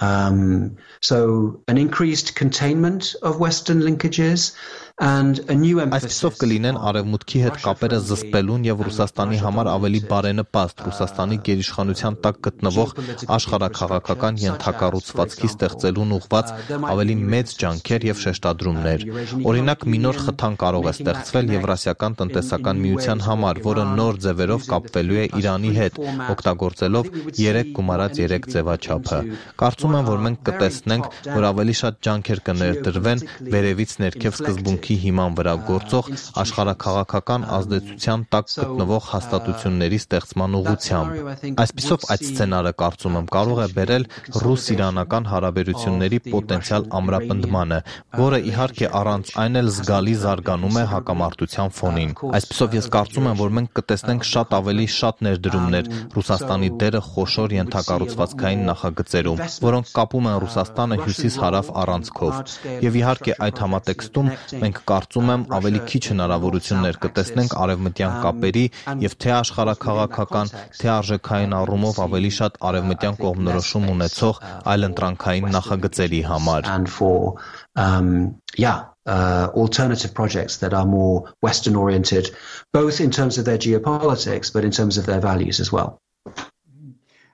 Um, so an increased containment of Western linkages and a new emphasis. Այսպիսով կլինեն արևմուտքի հետ կապերը զսպելուն եւ Ռուսաստանի համար ավելի բարենպաստ Ռուսաստանի գերիշխանության տակ գտնվող աշխարհաքաղաքական ենթակառուցվածքի ստեղծելուն ուղղված ավելի մեծ ջանքեր եւ շեշտադրումներ։ Օրինակ մի նոր խթան կարող է ստեղծվել Եվրասիական տնտեսական միության համար, որը նոր ձևերով կապվելու է Իրանի հետ, օգտագործելով երեք գումարած երեք ձևաչափը։ Կարծում եմ, որ մենք կտեսնենք, որ ավելի շատ ջանքեր կներդրվեն վերևից ներքև սկզբունքի հիման վրա գործող աշխարհաքաղաքական ազդեցության տակ գտնվող հաստատությունների ստեղծման ուղղությամբ։ Այսպիսով այդ սցենարը կարծում եմ կարող է բերել ռուս-իրանական հարաբերությունների պոտենցիալ ամրապնդմանը, որը իհարկե առանց այն էլ զգալի զարգանում է հակամարտության ֆոնին։ Այսպիսով ես կարծում եմ, որ մենք կտեսնենք շատ ավելի շատ ներդրումներ Ռուսաստանի դերը խոշոր ենթակառուցվածքային նախագծերում, որոնք կապում են Ռուսաստանը հյուսիս-հարավ առանցքով։ Եվ իհարկե այդ համատեքստում մենք կարծում եմ ավելի քիչ հնարավորություններ կտեսնենք արևմտյան կապերի եւ թե աշխարհաքաղաքական, թե արժեքային առումով ավելի շատ արևմտյան կողմնորոշում ունեցող այլընտրանքային նախագծերի համար։ Um, yeah, uh, alternative projects that are more Western oriented, both in terms of their geopolitics, but in terms of their values as well.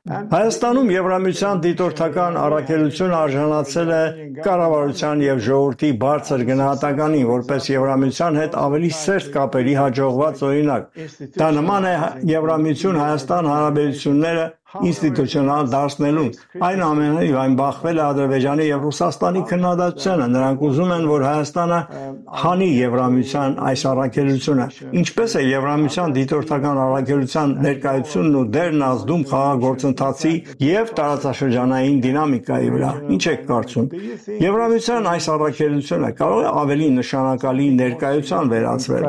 Հայաստանում Եվրամիության դիտորդական առաքելությունը արժանացել է կառավարության եւ ժողովրդի բարձր գնահատականին, որպես Եվրամիության հետ ավելի սերտ կապերի հաջողված օրինակ։ Դա նման է Եվրամիություն Հայաստան հարաբերությունները ինստիտուցիոնալ դարձնելուն։ Այնուամենայնիվ այն բախվել է Ադրբեջանի եւ Ռուսաստանի քննադատությանը։ Նրանք ուզում են, որ Հայաստանը հանի Եվրամիության այս առաքելությունը։ Ինչպես է Եվրամիության դիտորդական առաքելության ներկայությունն ու դերն ազդում խաղաղագործընթացի եւ տարածաշրջանային դինամիկայի վրա։ Ինչ եք կարծում։ Եվրամիության այս առաքելությունը կարող է ավելի նշանակալի ներկայության վերածվել։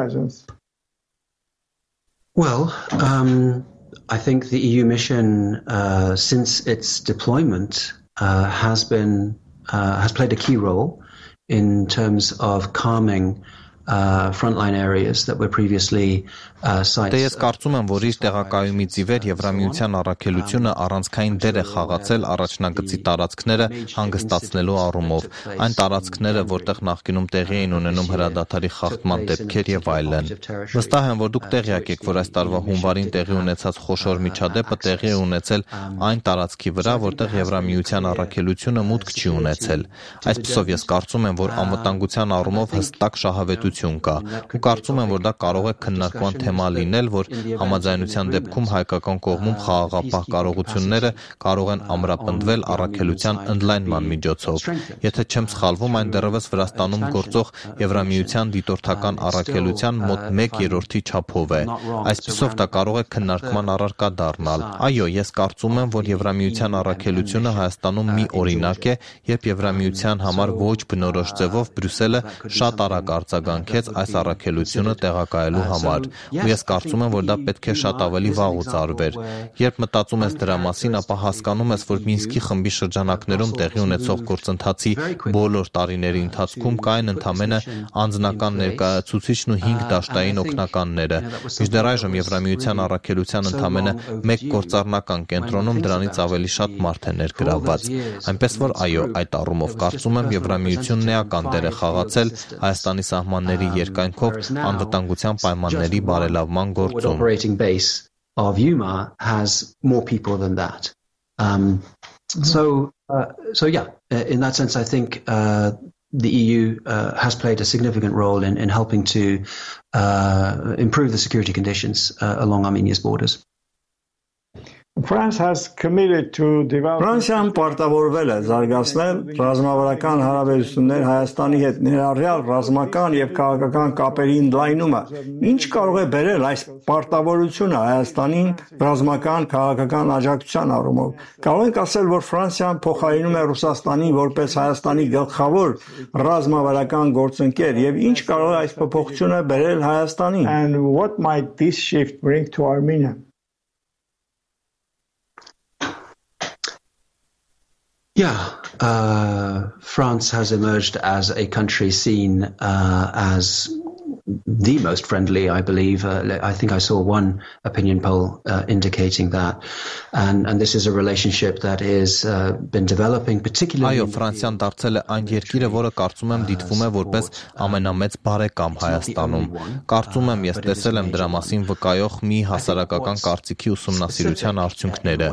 Well, um I think the E U mission, uh, since its deployment, uh, has been uh, has played a key role in terms of calming uh, frontline areas that were previously uh, sites. Դե ես կարծում եմ, որ իր տեղակայումից ի վեր Եվրամիության առաքելությունը առանցքային դեր է խաղացել առաջնագծի տարածքները հանգստացնելու առումով, այն տարածքները, որտեղ նախկինում տեղի էին ունենում հրադադարի խախտման դեպքեր եւ այլն։ Վստահ եմ, որ դուք տեղյակ եք, որ այս տարվա հունվարին տեղի ունեցած խոշոր միջադեպը տեղի է ունեցել այն տարածքի վրա, որտեղ Եվրամիության առաքելությունը մուտք չի ունեցել։ Այսպիսով ես կարծում եմ, որ անվտանգության առումով հստակ շահավետություն ցանկություն կա։ Ու կարծում եմ, որ դա կարող է քննարկման թեմա լինել, որ համաձայնության դեպքում հայկական կողմում խաղաղապահ կարողությունները կարող են ամրապնդվել առաքելության ընդլայնման միջոցով։ Եթե չեմ սխալվում, այն դեռևս Վրաստանում գործող Եվրամիության դիտորդական առաքելության մոտ մեկ երրորդի չափով է։ Այսպիսով դա կարող է քննարկման առարկա դառնալ։ Այո, ես կարծում եմ, որ Եվրամիության առաքելությունը Հայաստանում մի օրինակ է, երբ Եվրամիության համար ոչ բնորոշ ձևով Բրյուսելը շատ արագ արձագանքեց այս առաքելությունը տեղակայելու համար։ Ու ես կարծում եմ, որ դա պետք է շատ ավելի վաղուց արվեր։ Երբ մտածում ես դրա մասին, ապա հասկանում ես, որ Մինսկի խմբի շրջանակներում տեղի ունեցող գործընթացի բոլոր տարիների ընթացքում կային ընդամենը անձնական ներկայացուցիչն ու հինգ դաշտային օգնականները։ Մինչդեռ այժմ Եվրամիության առաքելության ընդամենը մեկ գործառնական կենտրոնում դրանից ավելի շատ մարդ է ներգրավված։ Այնպես որ այո, այդ առումով կարծում եմ Եվրամիությունն էական դեր է խաղացել Հայաստանի սահմանների երկայնքով անվտանգության պայմանների բարելավման գործում։ Of U M A has more people than that. Um, so, uh, so yeah, in that sense, I think uh, the E U uh, has played a significant role in, in helping to uh, improve the security conditions uh, along Armenia's borders. France has committed to develop Ֆրանսիան պարտավորվել է զարգացնել ռազմավարական հարաբերություններ Հայաստանի հետ ներառյալ ռազմական եւ քաղաքական կապերի ընդլայնումը։ Ինչ կարող է բերել այս պարտավորությունը Հայաստանին ռազմական քաղաքական աջակցության առումով։ Կարող ենք ասել, որ Ֆրանսիան փոխարինում է Ռուսաստանին որպես Հայաստանի գլխավոր ռազմավարական գործընկեր եւ ինչ կարող է այս փոփոխությունը բերել Հայաստանին։ And what might this shift bring to Armenia? Yeah, uh, France has emerged as a country seen uh, as the most friendly, I believe. Uh, I think I saw one opinion poll uh, indicating that. And, and this is a relationship that has uh, been developing, particularly... Այո, Ֆրանսիան դարձել է այն երկիրը, որը կարծում եմ դիտվում է որպես ամենամեծ բարեկամ Հայաստանում։ Կարծում եմ, ես տեսել եմ դրա մասին վկայող մի հասարակական կարծիքի ուսումնասիրության արդյունքները։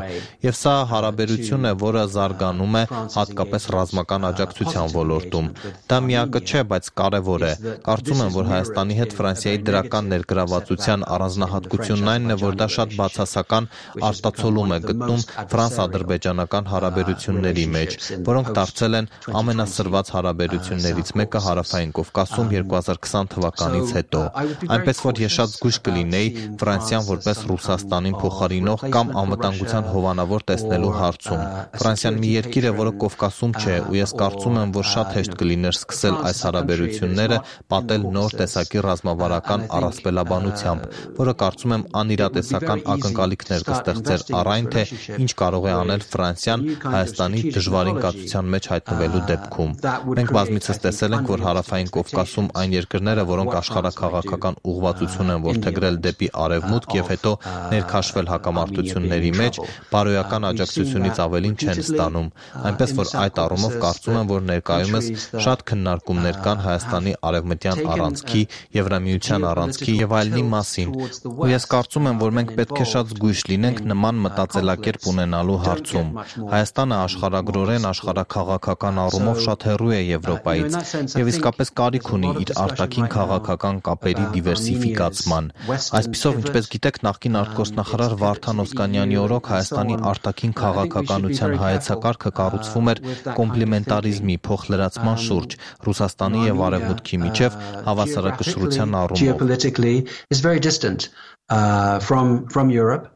Եվ սա հարաբերություն է, որը զարգանում է հատկապես ռազմական աջակցության ոլորտում։ Դա միակը չէ, բայց կարևոր է։ Կարծում եմ, որ Հայաստանի հետ Ֆրանսիայի դրական ներգրավվածության առանձնահատկությունն այնն է, որ դա շատ բացասական արտացոլում է գտնում ֆրանս-ադրբեջանական հարաբերությունների մեջ, որոնք դարձել են ամենասրված հարաբերություններից մեկը Հարավային Կովկասում երկու հազար քսան թվականից հետո։ Այնպես որ ես շատ զգույշ կլինեի Ֆրանսիան որպես Ռուսաստանին փոխարինող կամ անվտանգության հովանավոր տեսնելու հարցում։ Ֆրանսիան մի երկիր է, որը Կովկասում չէ, ու ես կարծում եմ, որ շատ հեշտ կլիներ սկսել այս հարաբերությունները պատել նոր տեսակի ռազմավարական առասպելաբանությամբ, որը կարծում եմ անիրատեսական ակնկալիքներ կստեղծեր առ այն, թե ինչ կարող է անել Ֆրանսիան Հայաստանի դժվարին կացության մեջ հայտնվելու դեպքում։ Մենք բազմիցս տեսել ենք, որ Հարավային Կովկասում այն երկրները, որոնք աշխարհաքաղաքական ուղղվածություն են որդեգրել դեպի արևմուտք եւ հետո ներքաշվել հակամարտությունների մեջ, բարոյական աջակցությունից ավելին չեն ստանում։ Այնպես որ այդ առումով կարծում եմ, որ ներկայումս շատ քննարկումներ կան Հայաստանի արևմտյան առանցքի, Եվրամիության առանցքի եւ այլնի մասին։ Ու ես կարծում եմ, որ մենք պետք է շատ զգույշ լինենք նման մտածելակերպ ունենալու հարցում։ Հայաստանը աշխարհագրորեն աշխարհաքաղաքական առումով շատ հեռու է Եվրոպայից եւ իսկապես կարիք ունի իր արտաքին քաղաքական կապերի դիվերսիֆիկացման։ Այսպիսով, ինչպես գիտեք, նախկին արտգործնախարար Վարդան Օսկանյանի օրոք Հայաստանի արտաքին քաղաքականության հայեցակարգը կառուցվում էր կոմպլեմենտարիզմի փոխլրացման շուրջ Ռուսաստանի եւ Արևմուտքի միջև հավասարակշռության առումով։ Geopolitically is very distant uh, from from Europe,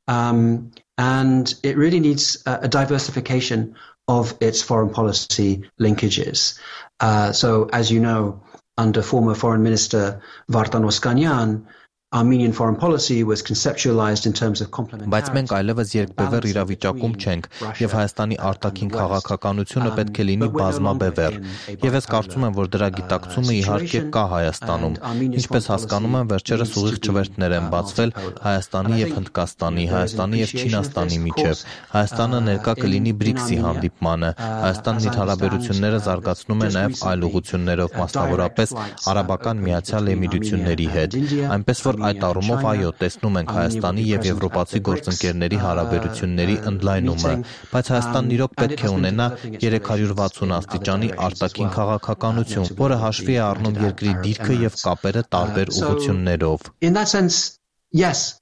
um, and it really needs a, a diversification of its foreign policy linkages. Uh, so, as you know, under former Foreign Minister Vartan Oskanyan, Armenian foreign policy was conceptualized in terms of complementarity. Բայց մենք այլևս երկբևեռ իրավիճակում չենք, եւ Հայաստանի արտաքին քաղաքականությունը պետք է լինի բազմաբևեռ։ Եվ ես կարծում եմ, որ դրա գիտակցումը իհարկե կա Հայաստանում։ Ինչպես հասկանում եմ, վերջերս ուղիղ չվերթներ են բացվել Հայաստանի եւ Հնդկաստանի, Հայաստանի եւ Չինաստանի միջև։ Հայաստանը ներկա կլինի բրիքսի հանդիպմանը։ Հայաստանն իր հարաբերությունները զարգացնում է նաեւ այլ ուղղություններով, մասնավորապես Արաբական Միացյալ Էմիրությունների հետ։ Այնպես որ այդ առումով այո, տեսնում ենք Հայաստանի եւ եվրոպացի գործընկերների հարաբերությունների ընդլայնումը, բայց Հայաստանն իրոք պետք է ունենա երեք հարյուր վաթսուն աստիճանի արտաքին քաղաքականություն, որը հաշվի է առնում երկրի դիրքը եւ կապերը տարբեր ուղղություններով։ In that sense, yes,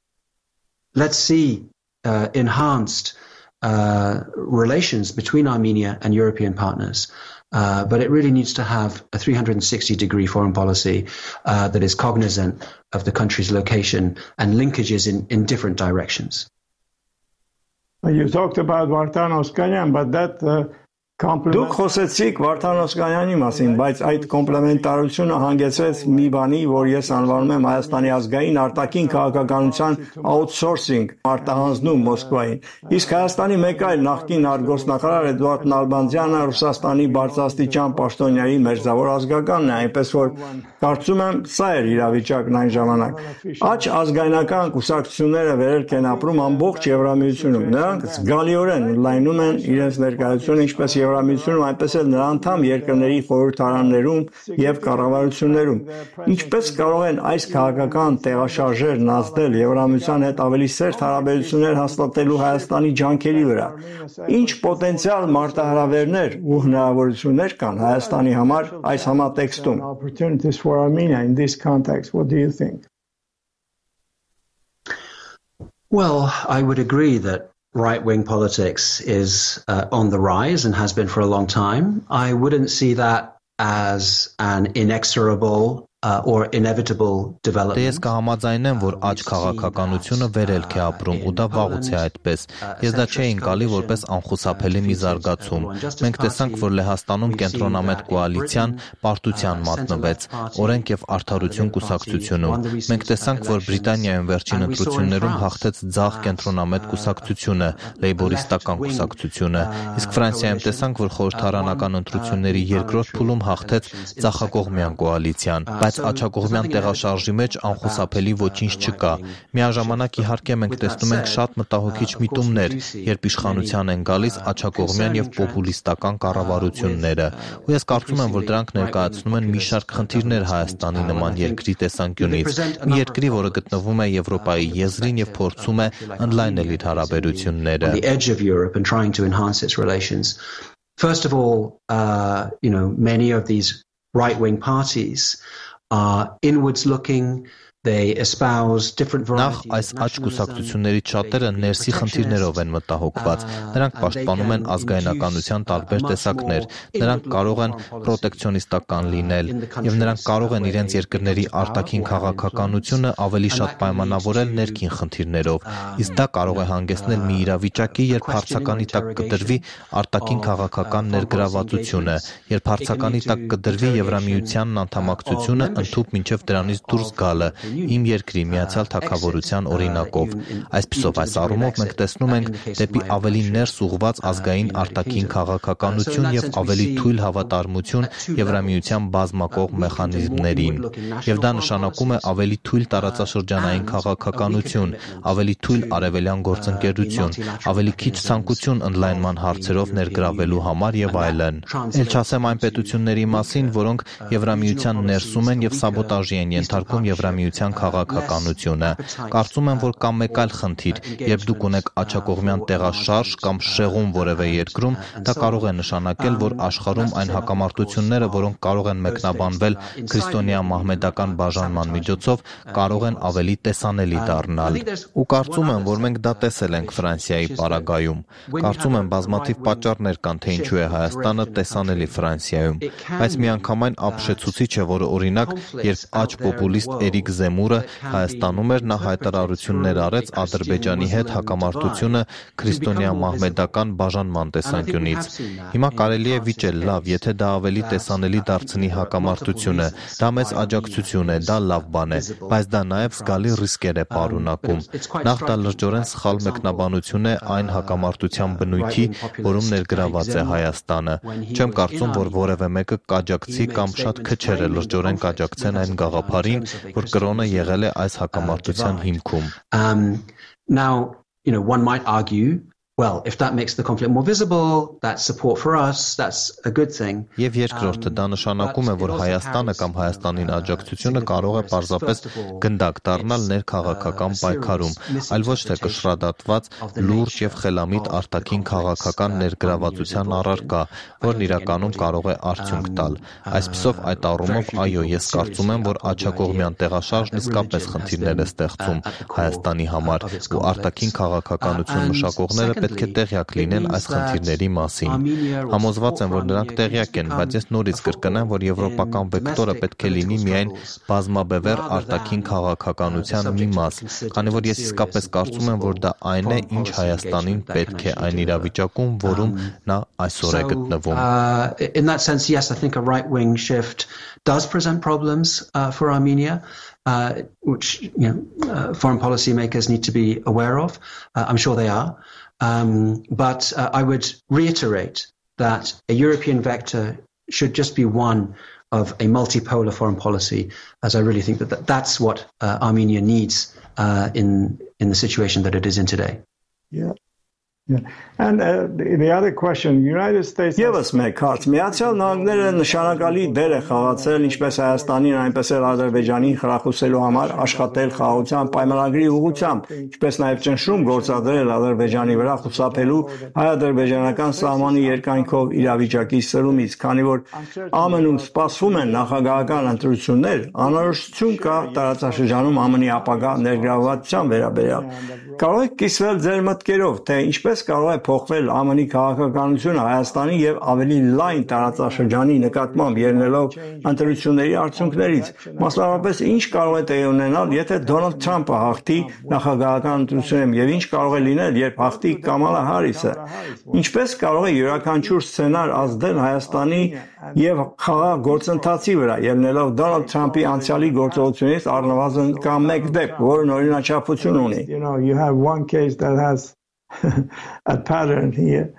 let's see uh, enhanced uh, relations between Armenia and European partners. Uh, but it really needs to have a three hundred sixty degree foreign policy uh, that is cognizant of the country's location and linkages in, in different directions. You talked about Vartan Oskanyan, but that uh, Դուք խոսեցիք Վարդան Օսկանյանի մասին, բայց այդ կոմպլեմենտարությունը հանգեցրեց մի բանի, որ ես անվանում եմ Հայաստանի ազգային արտաքին քաղաքականության outsourcing, արտահանձնում Մոսկվային։ Իսկ Հայաստանի մեկ այլ նախկին արտգործնախարար Էդուարդ Նալբանդյանը Ռուսաստանի բարձրաստիճան պաշտոնյայի մերձավոր ազգականն է, այնպես որ կարծում եմ սա էր իրավիճակն այն ժամանակ։ Աջ ազգայնական կուսակցությունները վերելք են ապրում ամբողջ Եվրամիությունում։ Նրանք զգալիորեն ընդլայնում են իրենց ներկայությունը, ինչպես Եվրամիությունում, այնպես էլ նրա անդամ երկրների խորհրդարաններում եւ կառավարություններում։ Ինչպես կարող են այս քաղաքական տեղաշարժերն ազդել Եվրամիության հետ ավելի սերտ հարաբերություններ հաստատելու Հայաստանի ջանքերի վրա։ Ինչ պոտենցիալ մարտահրավերներ ու հնարավորություններ կան Հայաստանի համար այս համատեքստում։ Opportunities for Armenia in this context. What do you think? Well, I would agree that right-wing politics is uh, on the rise and has been for a long time. I wouldn't see that as an inexorable uh, or inevitable development. Ես կհամաձայնեմ, որ աճ քաղաքականությունը վերելք է ապրում ու դա վաղուց է այդպես։ Ես դա չէի ընկալի որպես անխուսափելի մի զարգացում։ Մենք տեսանք, որ Լեհաստանում կենտրոնամետ կոալիցիան պարտության մատնվեց, օրենք եւ արդարություն կուսակցությունում։ Մենք տեսանք, որ Բրիտանիայում վերջին ընտրություններում հաղթեց ձախ կենտրոնամետ կուսակցությունը, լեյբորիստական կուսակցությունը, իսկ Ֆրանսիայում տեսանք, որ խորհրդարանական ընտրությունների երկրորդ փուլում հաղթեց ձախակողմյան կոալիցիան։ Բայց աչակողմյան տեղաշարժի մեջ անխուսափելի ոչինչ չկա։ Միաժամանակ իհարկե մենք տեսնում ենք շատ մտահոգիչ միտումներ, երբ իշխանության են գալիս աչակողմյան եւ պոպուլիստական կառավարությունները։ Ու ես կարծում եմ, որ դրանք ներկայացնում են մի շարք խնդիրներ Հայաստանի նման երկրի տեսանկյունից, մի երկրի, որը գտնվում է Եվրոպայի եզրին եւ փորձում է ընդլայնել իր հարաբերությունները։ First of all, uh, you know, many of these right-wing parties are inwards looking. They espouse different varieties. Նախ այս աճ կուսակցություններից շատերը ներսի խնդիրներով են մտահոգված։ Նրանք պաշտպանում են ազգայնականության տարբեր տեսակներ։ Նրանք կարող են պրոտեկցիոնիստական լինել եւ նրանք կարող են իրենց երկրների արտաքին քաղաքականությունը ավելի շատ պայմանավորել ներքին խնդիրներով։ Իսկ դա կարող է հանգեցնել մի իրավիճակի, երբ հարցականի տակ կդրվի արտաքին քաղաքական ներգրավվածությունը, երբ հարցականի տակ կդրվի Եվրամիությանն անդամակցությունը ընդհուպ մինչև դրանից դուրս գալը։ Իմ երկրի Միացյալ Թագավորության օրինակով։ Այսպիսով այս առումով մենք տեսնում ենք դեպի ավելի ներս ուղղված ազգային արտաքին քաղաքականություն եւ ավելի թույլ հավատարմություն Եվրամիության բազմակողմ մեխանիզմներին։ Եվ դա նշանակում է ավելի թույլ տարածաշրջանային քաղաքականություն, ավելի թույլ արևելյան գործընկերություն, ավելի քիչ ցանկություն ընդլայնման հարցերով ներգրավելու համար եւ այլն։ Էլ չասեմ այն պետությունների մասին, որոնք Եվրամիության ներսում են եւ սաբոտաժի են ենթարկում Եվրամիության քաղաքականությունը։ Կարծում եմ, որ կա մեկ այլ խնդիր, երբ դուք ունեք աչակողմյան տեղաշարժ կամ շեղում որևէ երկրում, դա կարող է նշանակել, որ աշխարհում այն հակամարտությունները, որոնք կարող են մեկնաբանվել քրիստոնեա-մահմեդական բաժանման միջոցով, կարող են ավելի տեսանելի դառնալ։ Ու կարծում եմ, որ մենք դա տեսել ենք Ֆրանսիայի պարագայում։ Կարծում եմ, բազմաթիվ պատճառներ կան, թե ինչու է Հայաստանը տեսանելի Ֆրանսիայում, բայց միանգամայն ապշեցուցիչ է, որ օրինակ, երբ աճ պոպուլիստ Էրիկ Զեմուրը Հայաստանում էր, նա հայտարարություններ արեց Ադրբեջանի հետ հակամարտությունը քրիստոնեա-մահմեդական բաժանման տեսանկյունից։ Հիմա կարելի է վիճել, լավ, եթե դա ավելի տեսանելի դարձնի հակամարտությունը, դա մեծ աջակցություն է, դա լավ բան է, բայց դա նաև զգալի ռիսկեր է պարունակում։ Նախ դա լրջորեն սխալ մեկնաբանություն է այն հակամարտության բնույթի, որում ներգրաված է Հայաստանը։ Չեմ կարծում, որ որևէ մեկը կաջակցի կամ շատ քչերը լրջորեն կաջակցեն այն գաղափարին, որ կրոնը եղել է այս հակամարտության հիմքում։ Um, now, you know, one might argue Well, if that makes the conflict more visible, that's support for us, that's a good thing. Եվ երկրորդը դա նշանակում է, որ Հայաստանը կամ Հայաստանին աջակցությունը կարող է պարզապես գնդակ դառնալ ներքաղաքական պայքարում, այլ ոչ թե կշռադատված լուրջ եւ խելամիտ արտաքին քաղաքական ներգրավվածության առարկա, որն իրականում կարող է արդյունք տալ։ Այսպիսով այդ առումով այո, ես կարծում եմ, որ աջակողմյան տեղաշարժն իսկապես խնդիրներ է ստեղծում Հայաստանի համար, ու արտաքին քաղաքականություն մշակողները պետք է տեղյակ լինեն այս խնդիրների մասին։ Համոզված եմ, որ նրանք տեղյակ են, բայց ես նորից կրկնեմ, որ եվրոպական վեկտորը պետք է լինի միայն բազմաբևեռ արտաքին քաղաքականության մի մաս, քանի որ ես իսկապես կարծում եմ, որ դա այն է, ինչ Հայաստանին պետք է այն իրավիճակում, որում նա այսօր է գտնվում։ In that sense, yes, I think a right-wing shift does present problems uh, for Armenia. Uh, which you know, uh, foreign policy makers need to be aware of. Uh, I'm sure they are. Um, but uh, I would reiterate that a European vector should just be one of a multipolar foreign policy, as I really think that th- that's what uh, Armenia needs uh, in in the situation that it is in today. Yeah. Yeah. And uh, the, the other question, United States Եվս մեկ հարց, Միացյալ Նահանգները նշանակալի դեր է խաղացել ինչպես Հայաստանին, այնպես էլ Ադրբեջանին խրախուսելու համար աշխատել խաղաղության պայմանագրի ուղղությամբ, ինչպես նաև ճնշում գործադրել Ադրբեջանի վրա խուսափելու հայ-ադրբեջանական սահմանի երկայնքով իրավիճակի սրումից, քանի որ ԱՄՆ-ում սպասվում են նախագահական ընտրություններ, անորոշություն կա տարածաշրջանում ԱՄՆ-ի ապագա ներգրավվածության վերաբերյալ։ Կարող եք կիսվել ձեր մտքերով, թե ինչպես կարող է փոխվել ԱՄՆ-ի քաղաքականությունը Հայաստանի եւ ավելի լայն տարածաշրջանի նկատմամբ ելնելով ընտրությունների արդյունքներից, մասնավորապես ինչ կարող է տեղի ունենալ, եթե Դոնալդ Թրամփը հաղթի նախագահական ընտրություններում եւ ինչ կարող է լինել, երբ հաղթի Կամալա Հարիսը, ինչպես կարող է յուրաքանչյուր սցենար ազդել Հայաստանի եւ խաղաղ գործընթացի վրա, ելնելով Դոնալդ Թրամփի անցյալի գործողությունից առնվազն կամ մեկ դեպք, որն օրինաչափություն ունի։ You know, you have one case that has a pattern here.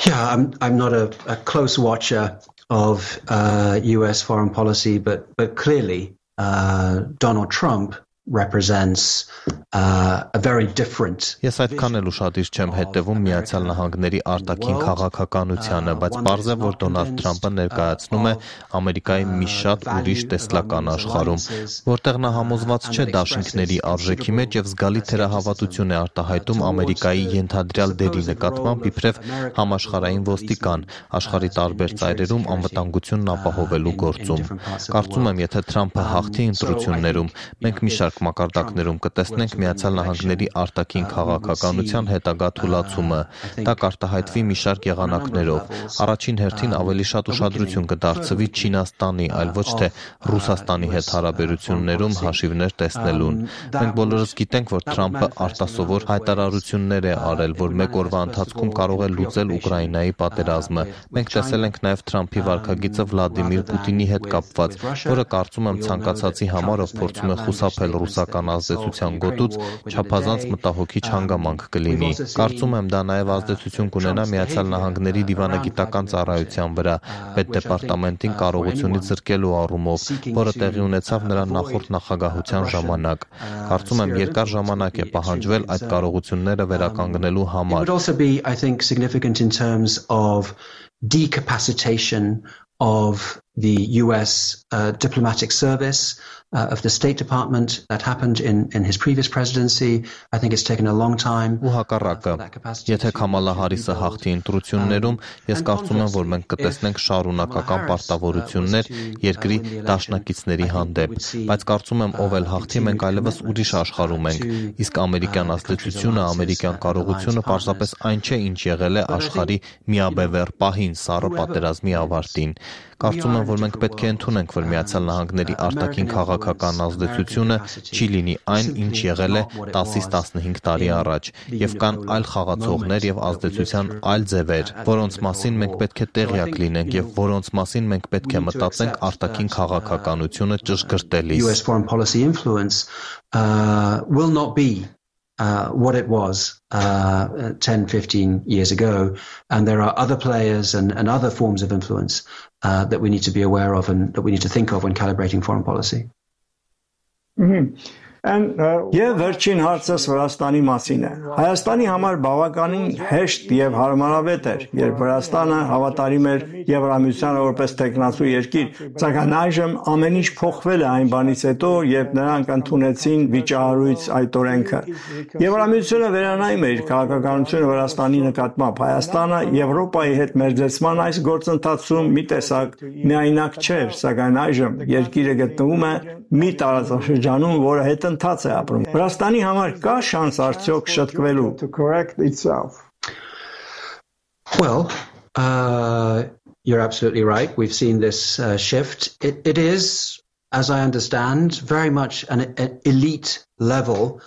Yeah, I'm I'm not a, a close watcher of uh, U S foreign policy, but but clearly uh, Donald Trump represents uh, a very different. Ես այդքան էլ ուշադիր չեմ հետևում Միացյալ Նահանգների արտաքին քաղաքականությանը, բայց պարզ է, որ Դոնալդ Թրամփը ներկայացնում է Ամերիկայի մի շատ ուրիշ տեսլական աշխարհում, որտեղ նա համոզված չէ դաշինքների արժեքի մեջ եւ զգալի թերահավատություն է արտահայտում Ամերիկայի ենթադրյալ դերի նկատմամբ իբրև համաշխարհային ոստիկան, աշխարհի տարբեր ծայրերում անվտանգությունն ապահովելու գործում։ Կարծում եմ, եթե Թրամփը հաղթի ընտրություններում, մենք մի շարք մակարդակներում կտեսնենք Միացյալ Նահանգների արտաքին քաղաքականության հետագա թուլացումը։ Դա կարտահայտվի մի շարք եղանակներով։ Առաջին հերթին ավելի շատ ուշադրություն կդարձվի Չինաստանի, այլ ոչ թե Ռուսաստանի հետ հարաբերություններում հաշիվներ տեսնելուն։ Մենք բոլորս գիտենք, որ Թրամփը արտասովոր հայտարարություններ է արել, որ մեկ օրվա ընթացքում կարող է լուծել Ուկրաինայի պատերազմը։ Մենք տեսել ենք նաև Թրամփի վարքագիծը Վլադիմիր Պուտինի հետ կապված, որը կարծում եմ ցանկացածի համար, ով փորձում է խուսափել ռուսական ազդեցության գոտուց, չափազանց մտահոգիչ հանգամանք կլինի։ Կարծում եմ դա նաև ազդեցություն կունենա Միացյալ Նահանգների դիվանագիտական ծառայության վրա, պետդեպարտամենտին կարողությունից զրկելու առումով, որը տեղի ունեցավ նրա նախորդ նախագահության ժամանակ։ Կարծում եմ երկար ժամանակ է պահանջվել այդ կարողությունները վերականգնելու համար։ It would also be, I think, significant in terms of decapacitation of the U S uh, diplomatic service, uh, of the State Department. That happened in, in his previous presidency. I think it's taken a long time. Ու հակառակը, եթե Կամալա Հարիսը հաղթի ընտրություններում, ես կարծում եմ, որ մենք կտեսնենք շարունակական պարտավորություններ երկրի դաշնակիցների հանդեպ, բայց կարծում եմ, ով էլ հաղթի, մենք այլևս ուրիշ աշխարհում ենք, իսկ ամերիկյան ազդեցությունը, ամերիկյան կարողությունը պարզապես այն չէ, ինչ եղել է աշխարհի միաբևեռ պահին սառը պատերազմի ավարտին։ Կարծում եմ, որ մենք պետք է ընդունենք, որ Միացյալ Նահանգների արտաքին քաղաքական ազդեցությունը չի լինի այն, ինչ եղել է տասից տասնհինգ տարի առաջ, եւ կան այլ խաղացողներ եւ ազդեցության այլ ձևեր, որոնց մասին մենք պետք է տեղյակ լինենք եւ որոնց մասին մենք պետք է մտածենք արտաքին քաղաքականությունը ճշգրտելիս։ U S foreign policy influence uh, will not be Uh, what it was uh, ten, fifteen years ago, and there are other players and, and other forms of influence uh, that we need to be aware of and that we need to think of when calibrating foreign policy. Mm-hmm. Եվ վերջին հարցս Վրաստանի մասին է։ Հայաստանի համար բավականին հեշտ եւ հարմարավետ էր, երբ Վրաստանը հավատարիմ էր Եվրամիությանը որպես տեխնացու երկիր, սակայն այժմ ամեն ինչ փոխվել է այն բանից հետո, երբ նրանք ընդունեցին վիճահարույց այդ օրենքը։ Եվրամիությունը վերանայում է իր քաղաքականությունը Վրաստանի նկատմամբ։ Հայաստանը Եվրոպայի հետ մերձեցման այս գործընթացում մի տեսակ միայնակ չէր, սակայն այժմ երկիրը գտնվում է մի տարածաշրջանում, որը հետընթաց է ապրում։ Վրաստանի համար կա շանս արդյոք շտկվելու։ Well, uh, you're absolutely right. We've seen this uh, shift. It, it is, as I understand, very much an, an elite level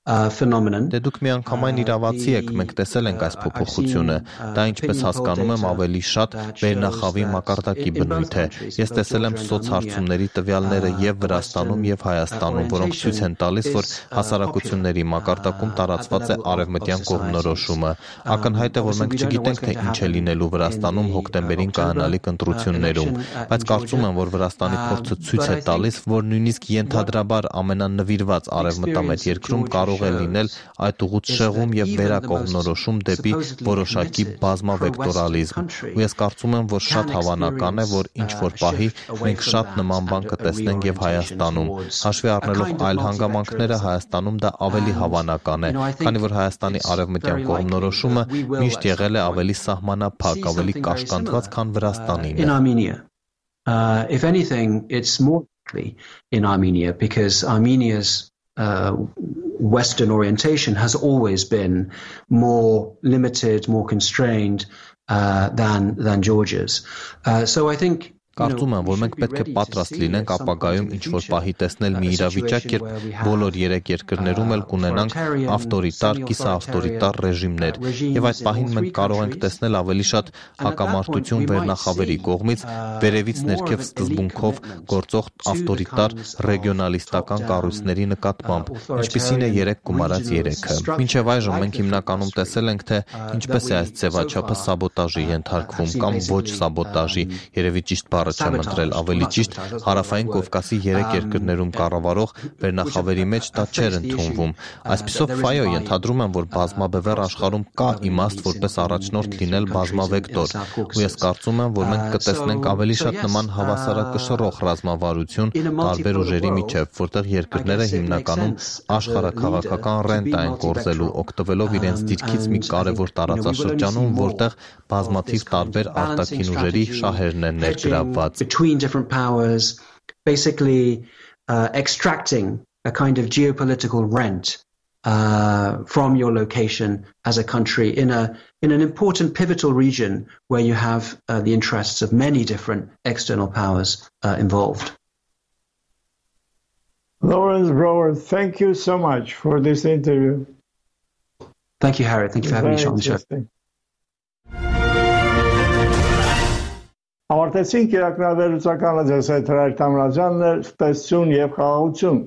uh, phenomenon. Դե դուք միանգամայն իրավացի եք, մենք տեսել ենք այս փոփոխությունը։ Դա ինչպես հասկանում եմ, ավելի շատ վերնախավի մակարդակի բնույթ է։ Ես տեսել եմ սոցհարցումների տվյալները եւ Վրաստանում եւ Հայաստանում, որոնք ցույց են տալիս, որ հասարակությունների մակարդակում տարածված է արևմտյան կողմնորոշումը։ Ակնհայտ է, որ մենք չգիտենք, թե ինչ է լինելու Վրաստանում հոկտեմբերին կայանալիք ընտրություններում, բայց կարծում եմ, որ Վրաստանի փորձը ցույց է տալիս, որ նույնիսկ ենթադրաբար ամենանվիրված արևմտամետ երկրում կարող է լինել այդ ուղուց շեղում եւ վերակողմնորոշում դեպի որոշակի բազմավեկտորալիզմ։ Ու ես կարծում եմ, որ շատ հավանական է, որ ինչ որ պահի մենք շատ նման բան կտեսնենք եւ Հայաստանում։ Հաշվի առնելով այլ հանգամանքները, Հայաստանում դա ավելի հավանական է, քանի որ Հայաստանի արևմտյան կողմնորոշումը միշտ եղել է ավելի սահմանափակ, ավելի կաշկանդված, քան Վրաստանինը։ Uh, if anything, it's more likely in Armenia because Armenia's uh, Western orientation has always been more limited, more constrained uh, than than Georgia's. Uh, so I think. Կարծում եմ, որ մենք պետք է պատրաստ լինենք ապագայում ինչ-որ պահի տեսնել մի իրավիճակ, երբ բոլոր երեք երկրներում էլ կունենանք ավտորիտար, կիսաավտորիտար ռեժիմներ, եւ այդ պահին մենք կարող ենք տեսնել ավելի շատ հակամարտություն վերնախավերի կողմից, վերևից ներքև սկզբունքով գործող ավտորիտար ռեգիոնալիստական կառույցների նկատմամբ, ինչպիսին է երեք գումարած երեքը։ Մինչեւ այժմ մենք հիմնականում տեսել ենք, թե ինչպես է այս ձևաչափը սաբոտաժի ենթարկվում կամ ոչ սաբոտաժի, երևի ճիշտ չեմ ընտրել, ավելի ճիշտ հարավային Կովկասի երեք երկրներում կառավարող վերնախավերի մեջ դա չէր ընդունվում։ Այսպիսով ֆայո ենթադրում եմ, որ բազմաբևեռ աշխարհում կա իմաստ որպես առաջնորդ լինել բազմավեկտոր, ու ես կարծում եմ, որ մենք կտեսնենք ավելի շատ նման հավասարակշռող ռազմավարություն տարբեր ուժերի միջև, որտեղ երկրները հիմնականում աշխարհաքաղաքական ռենտա են կորզելու, օգտվելով իրենց դիրքից մի կարևոր տարածաշրջանում, որտեղ բազմաթիվ տարբեր արտաքին ուժերի շահերն են ներգրավված. Between different powers, basically uh, extracting a kind of geopolitical rent uh, from your location as a country in a in an important pivotal region where you have uh, the interests of many different external powers uh, involved. Lawrence Brower, thank you so much for this interview. Thank you, Harry. Thank you for having me on the show. Ավարտեցինք իրականավորությունները ձեզ հետ հրաշքամրաջաններ, տեսություն եւ խաղաղություն։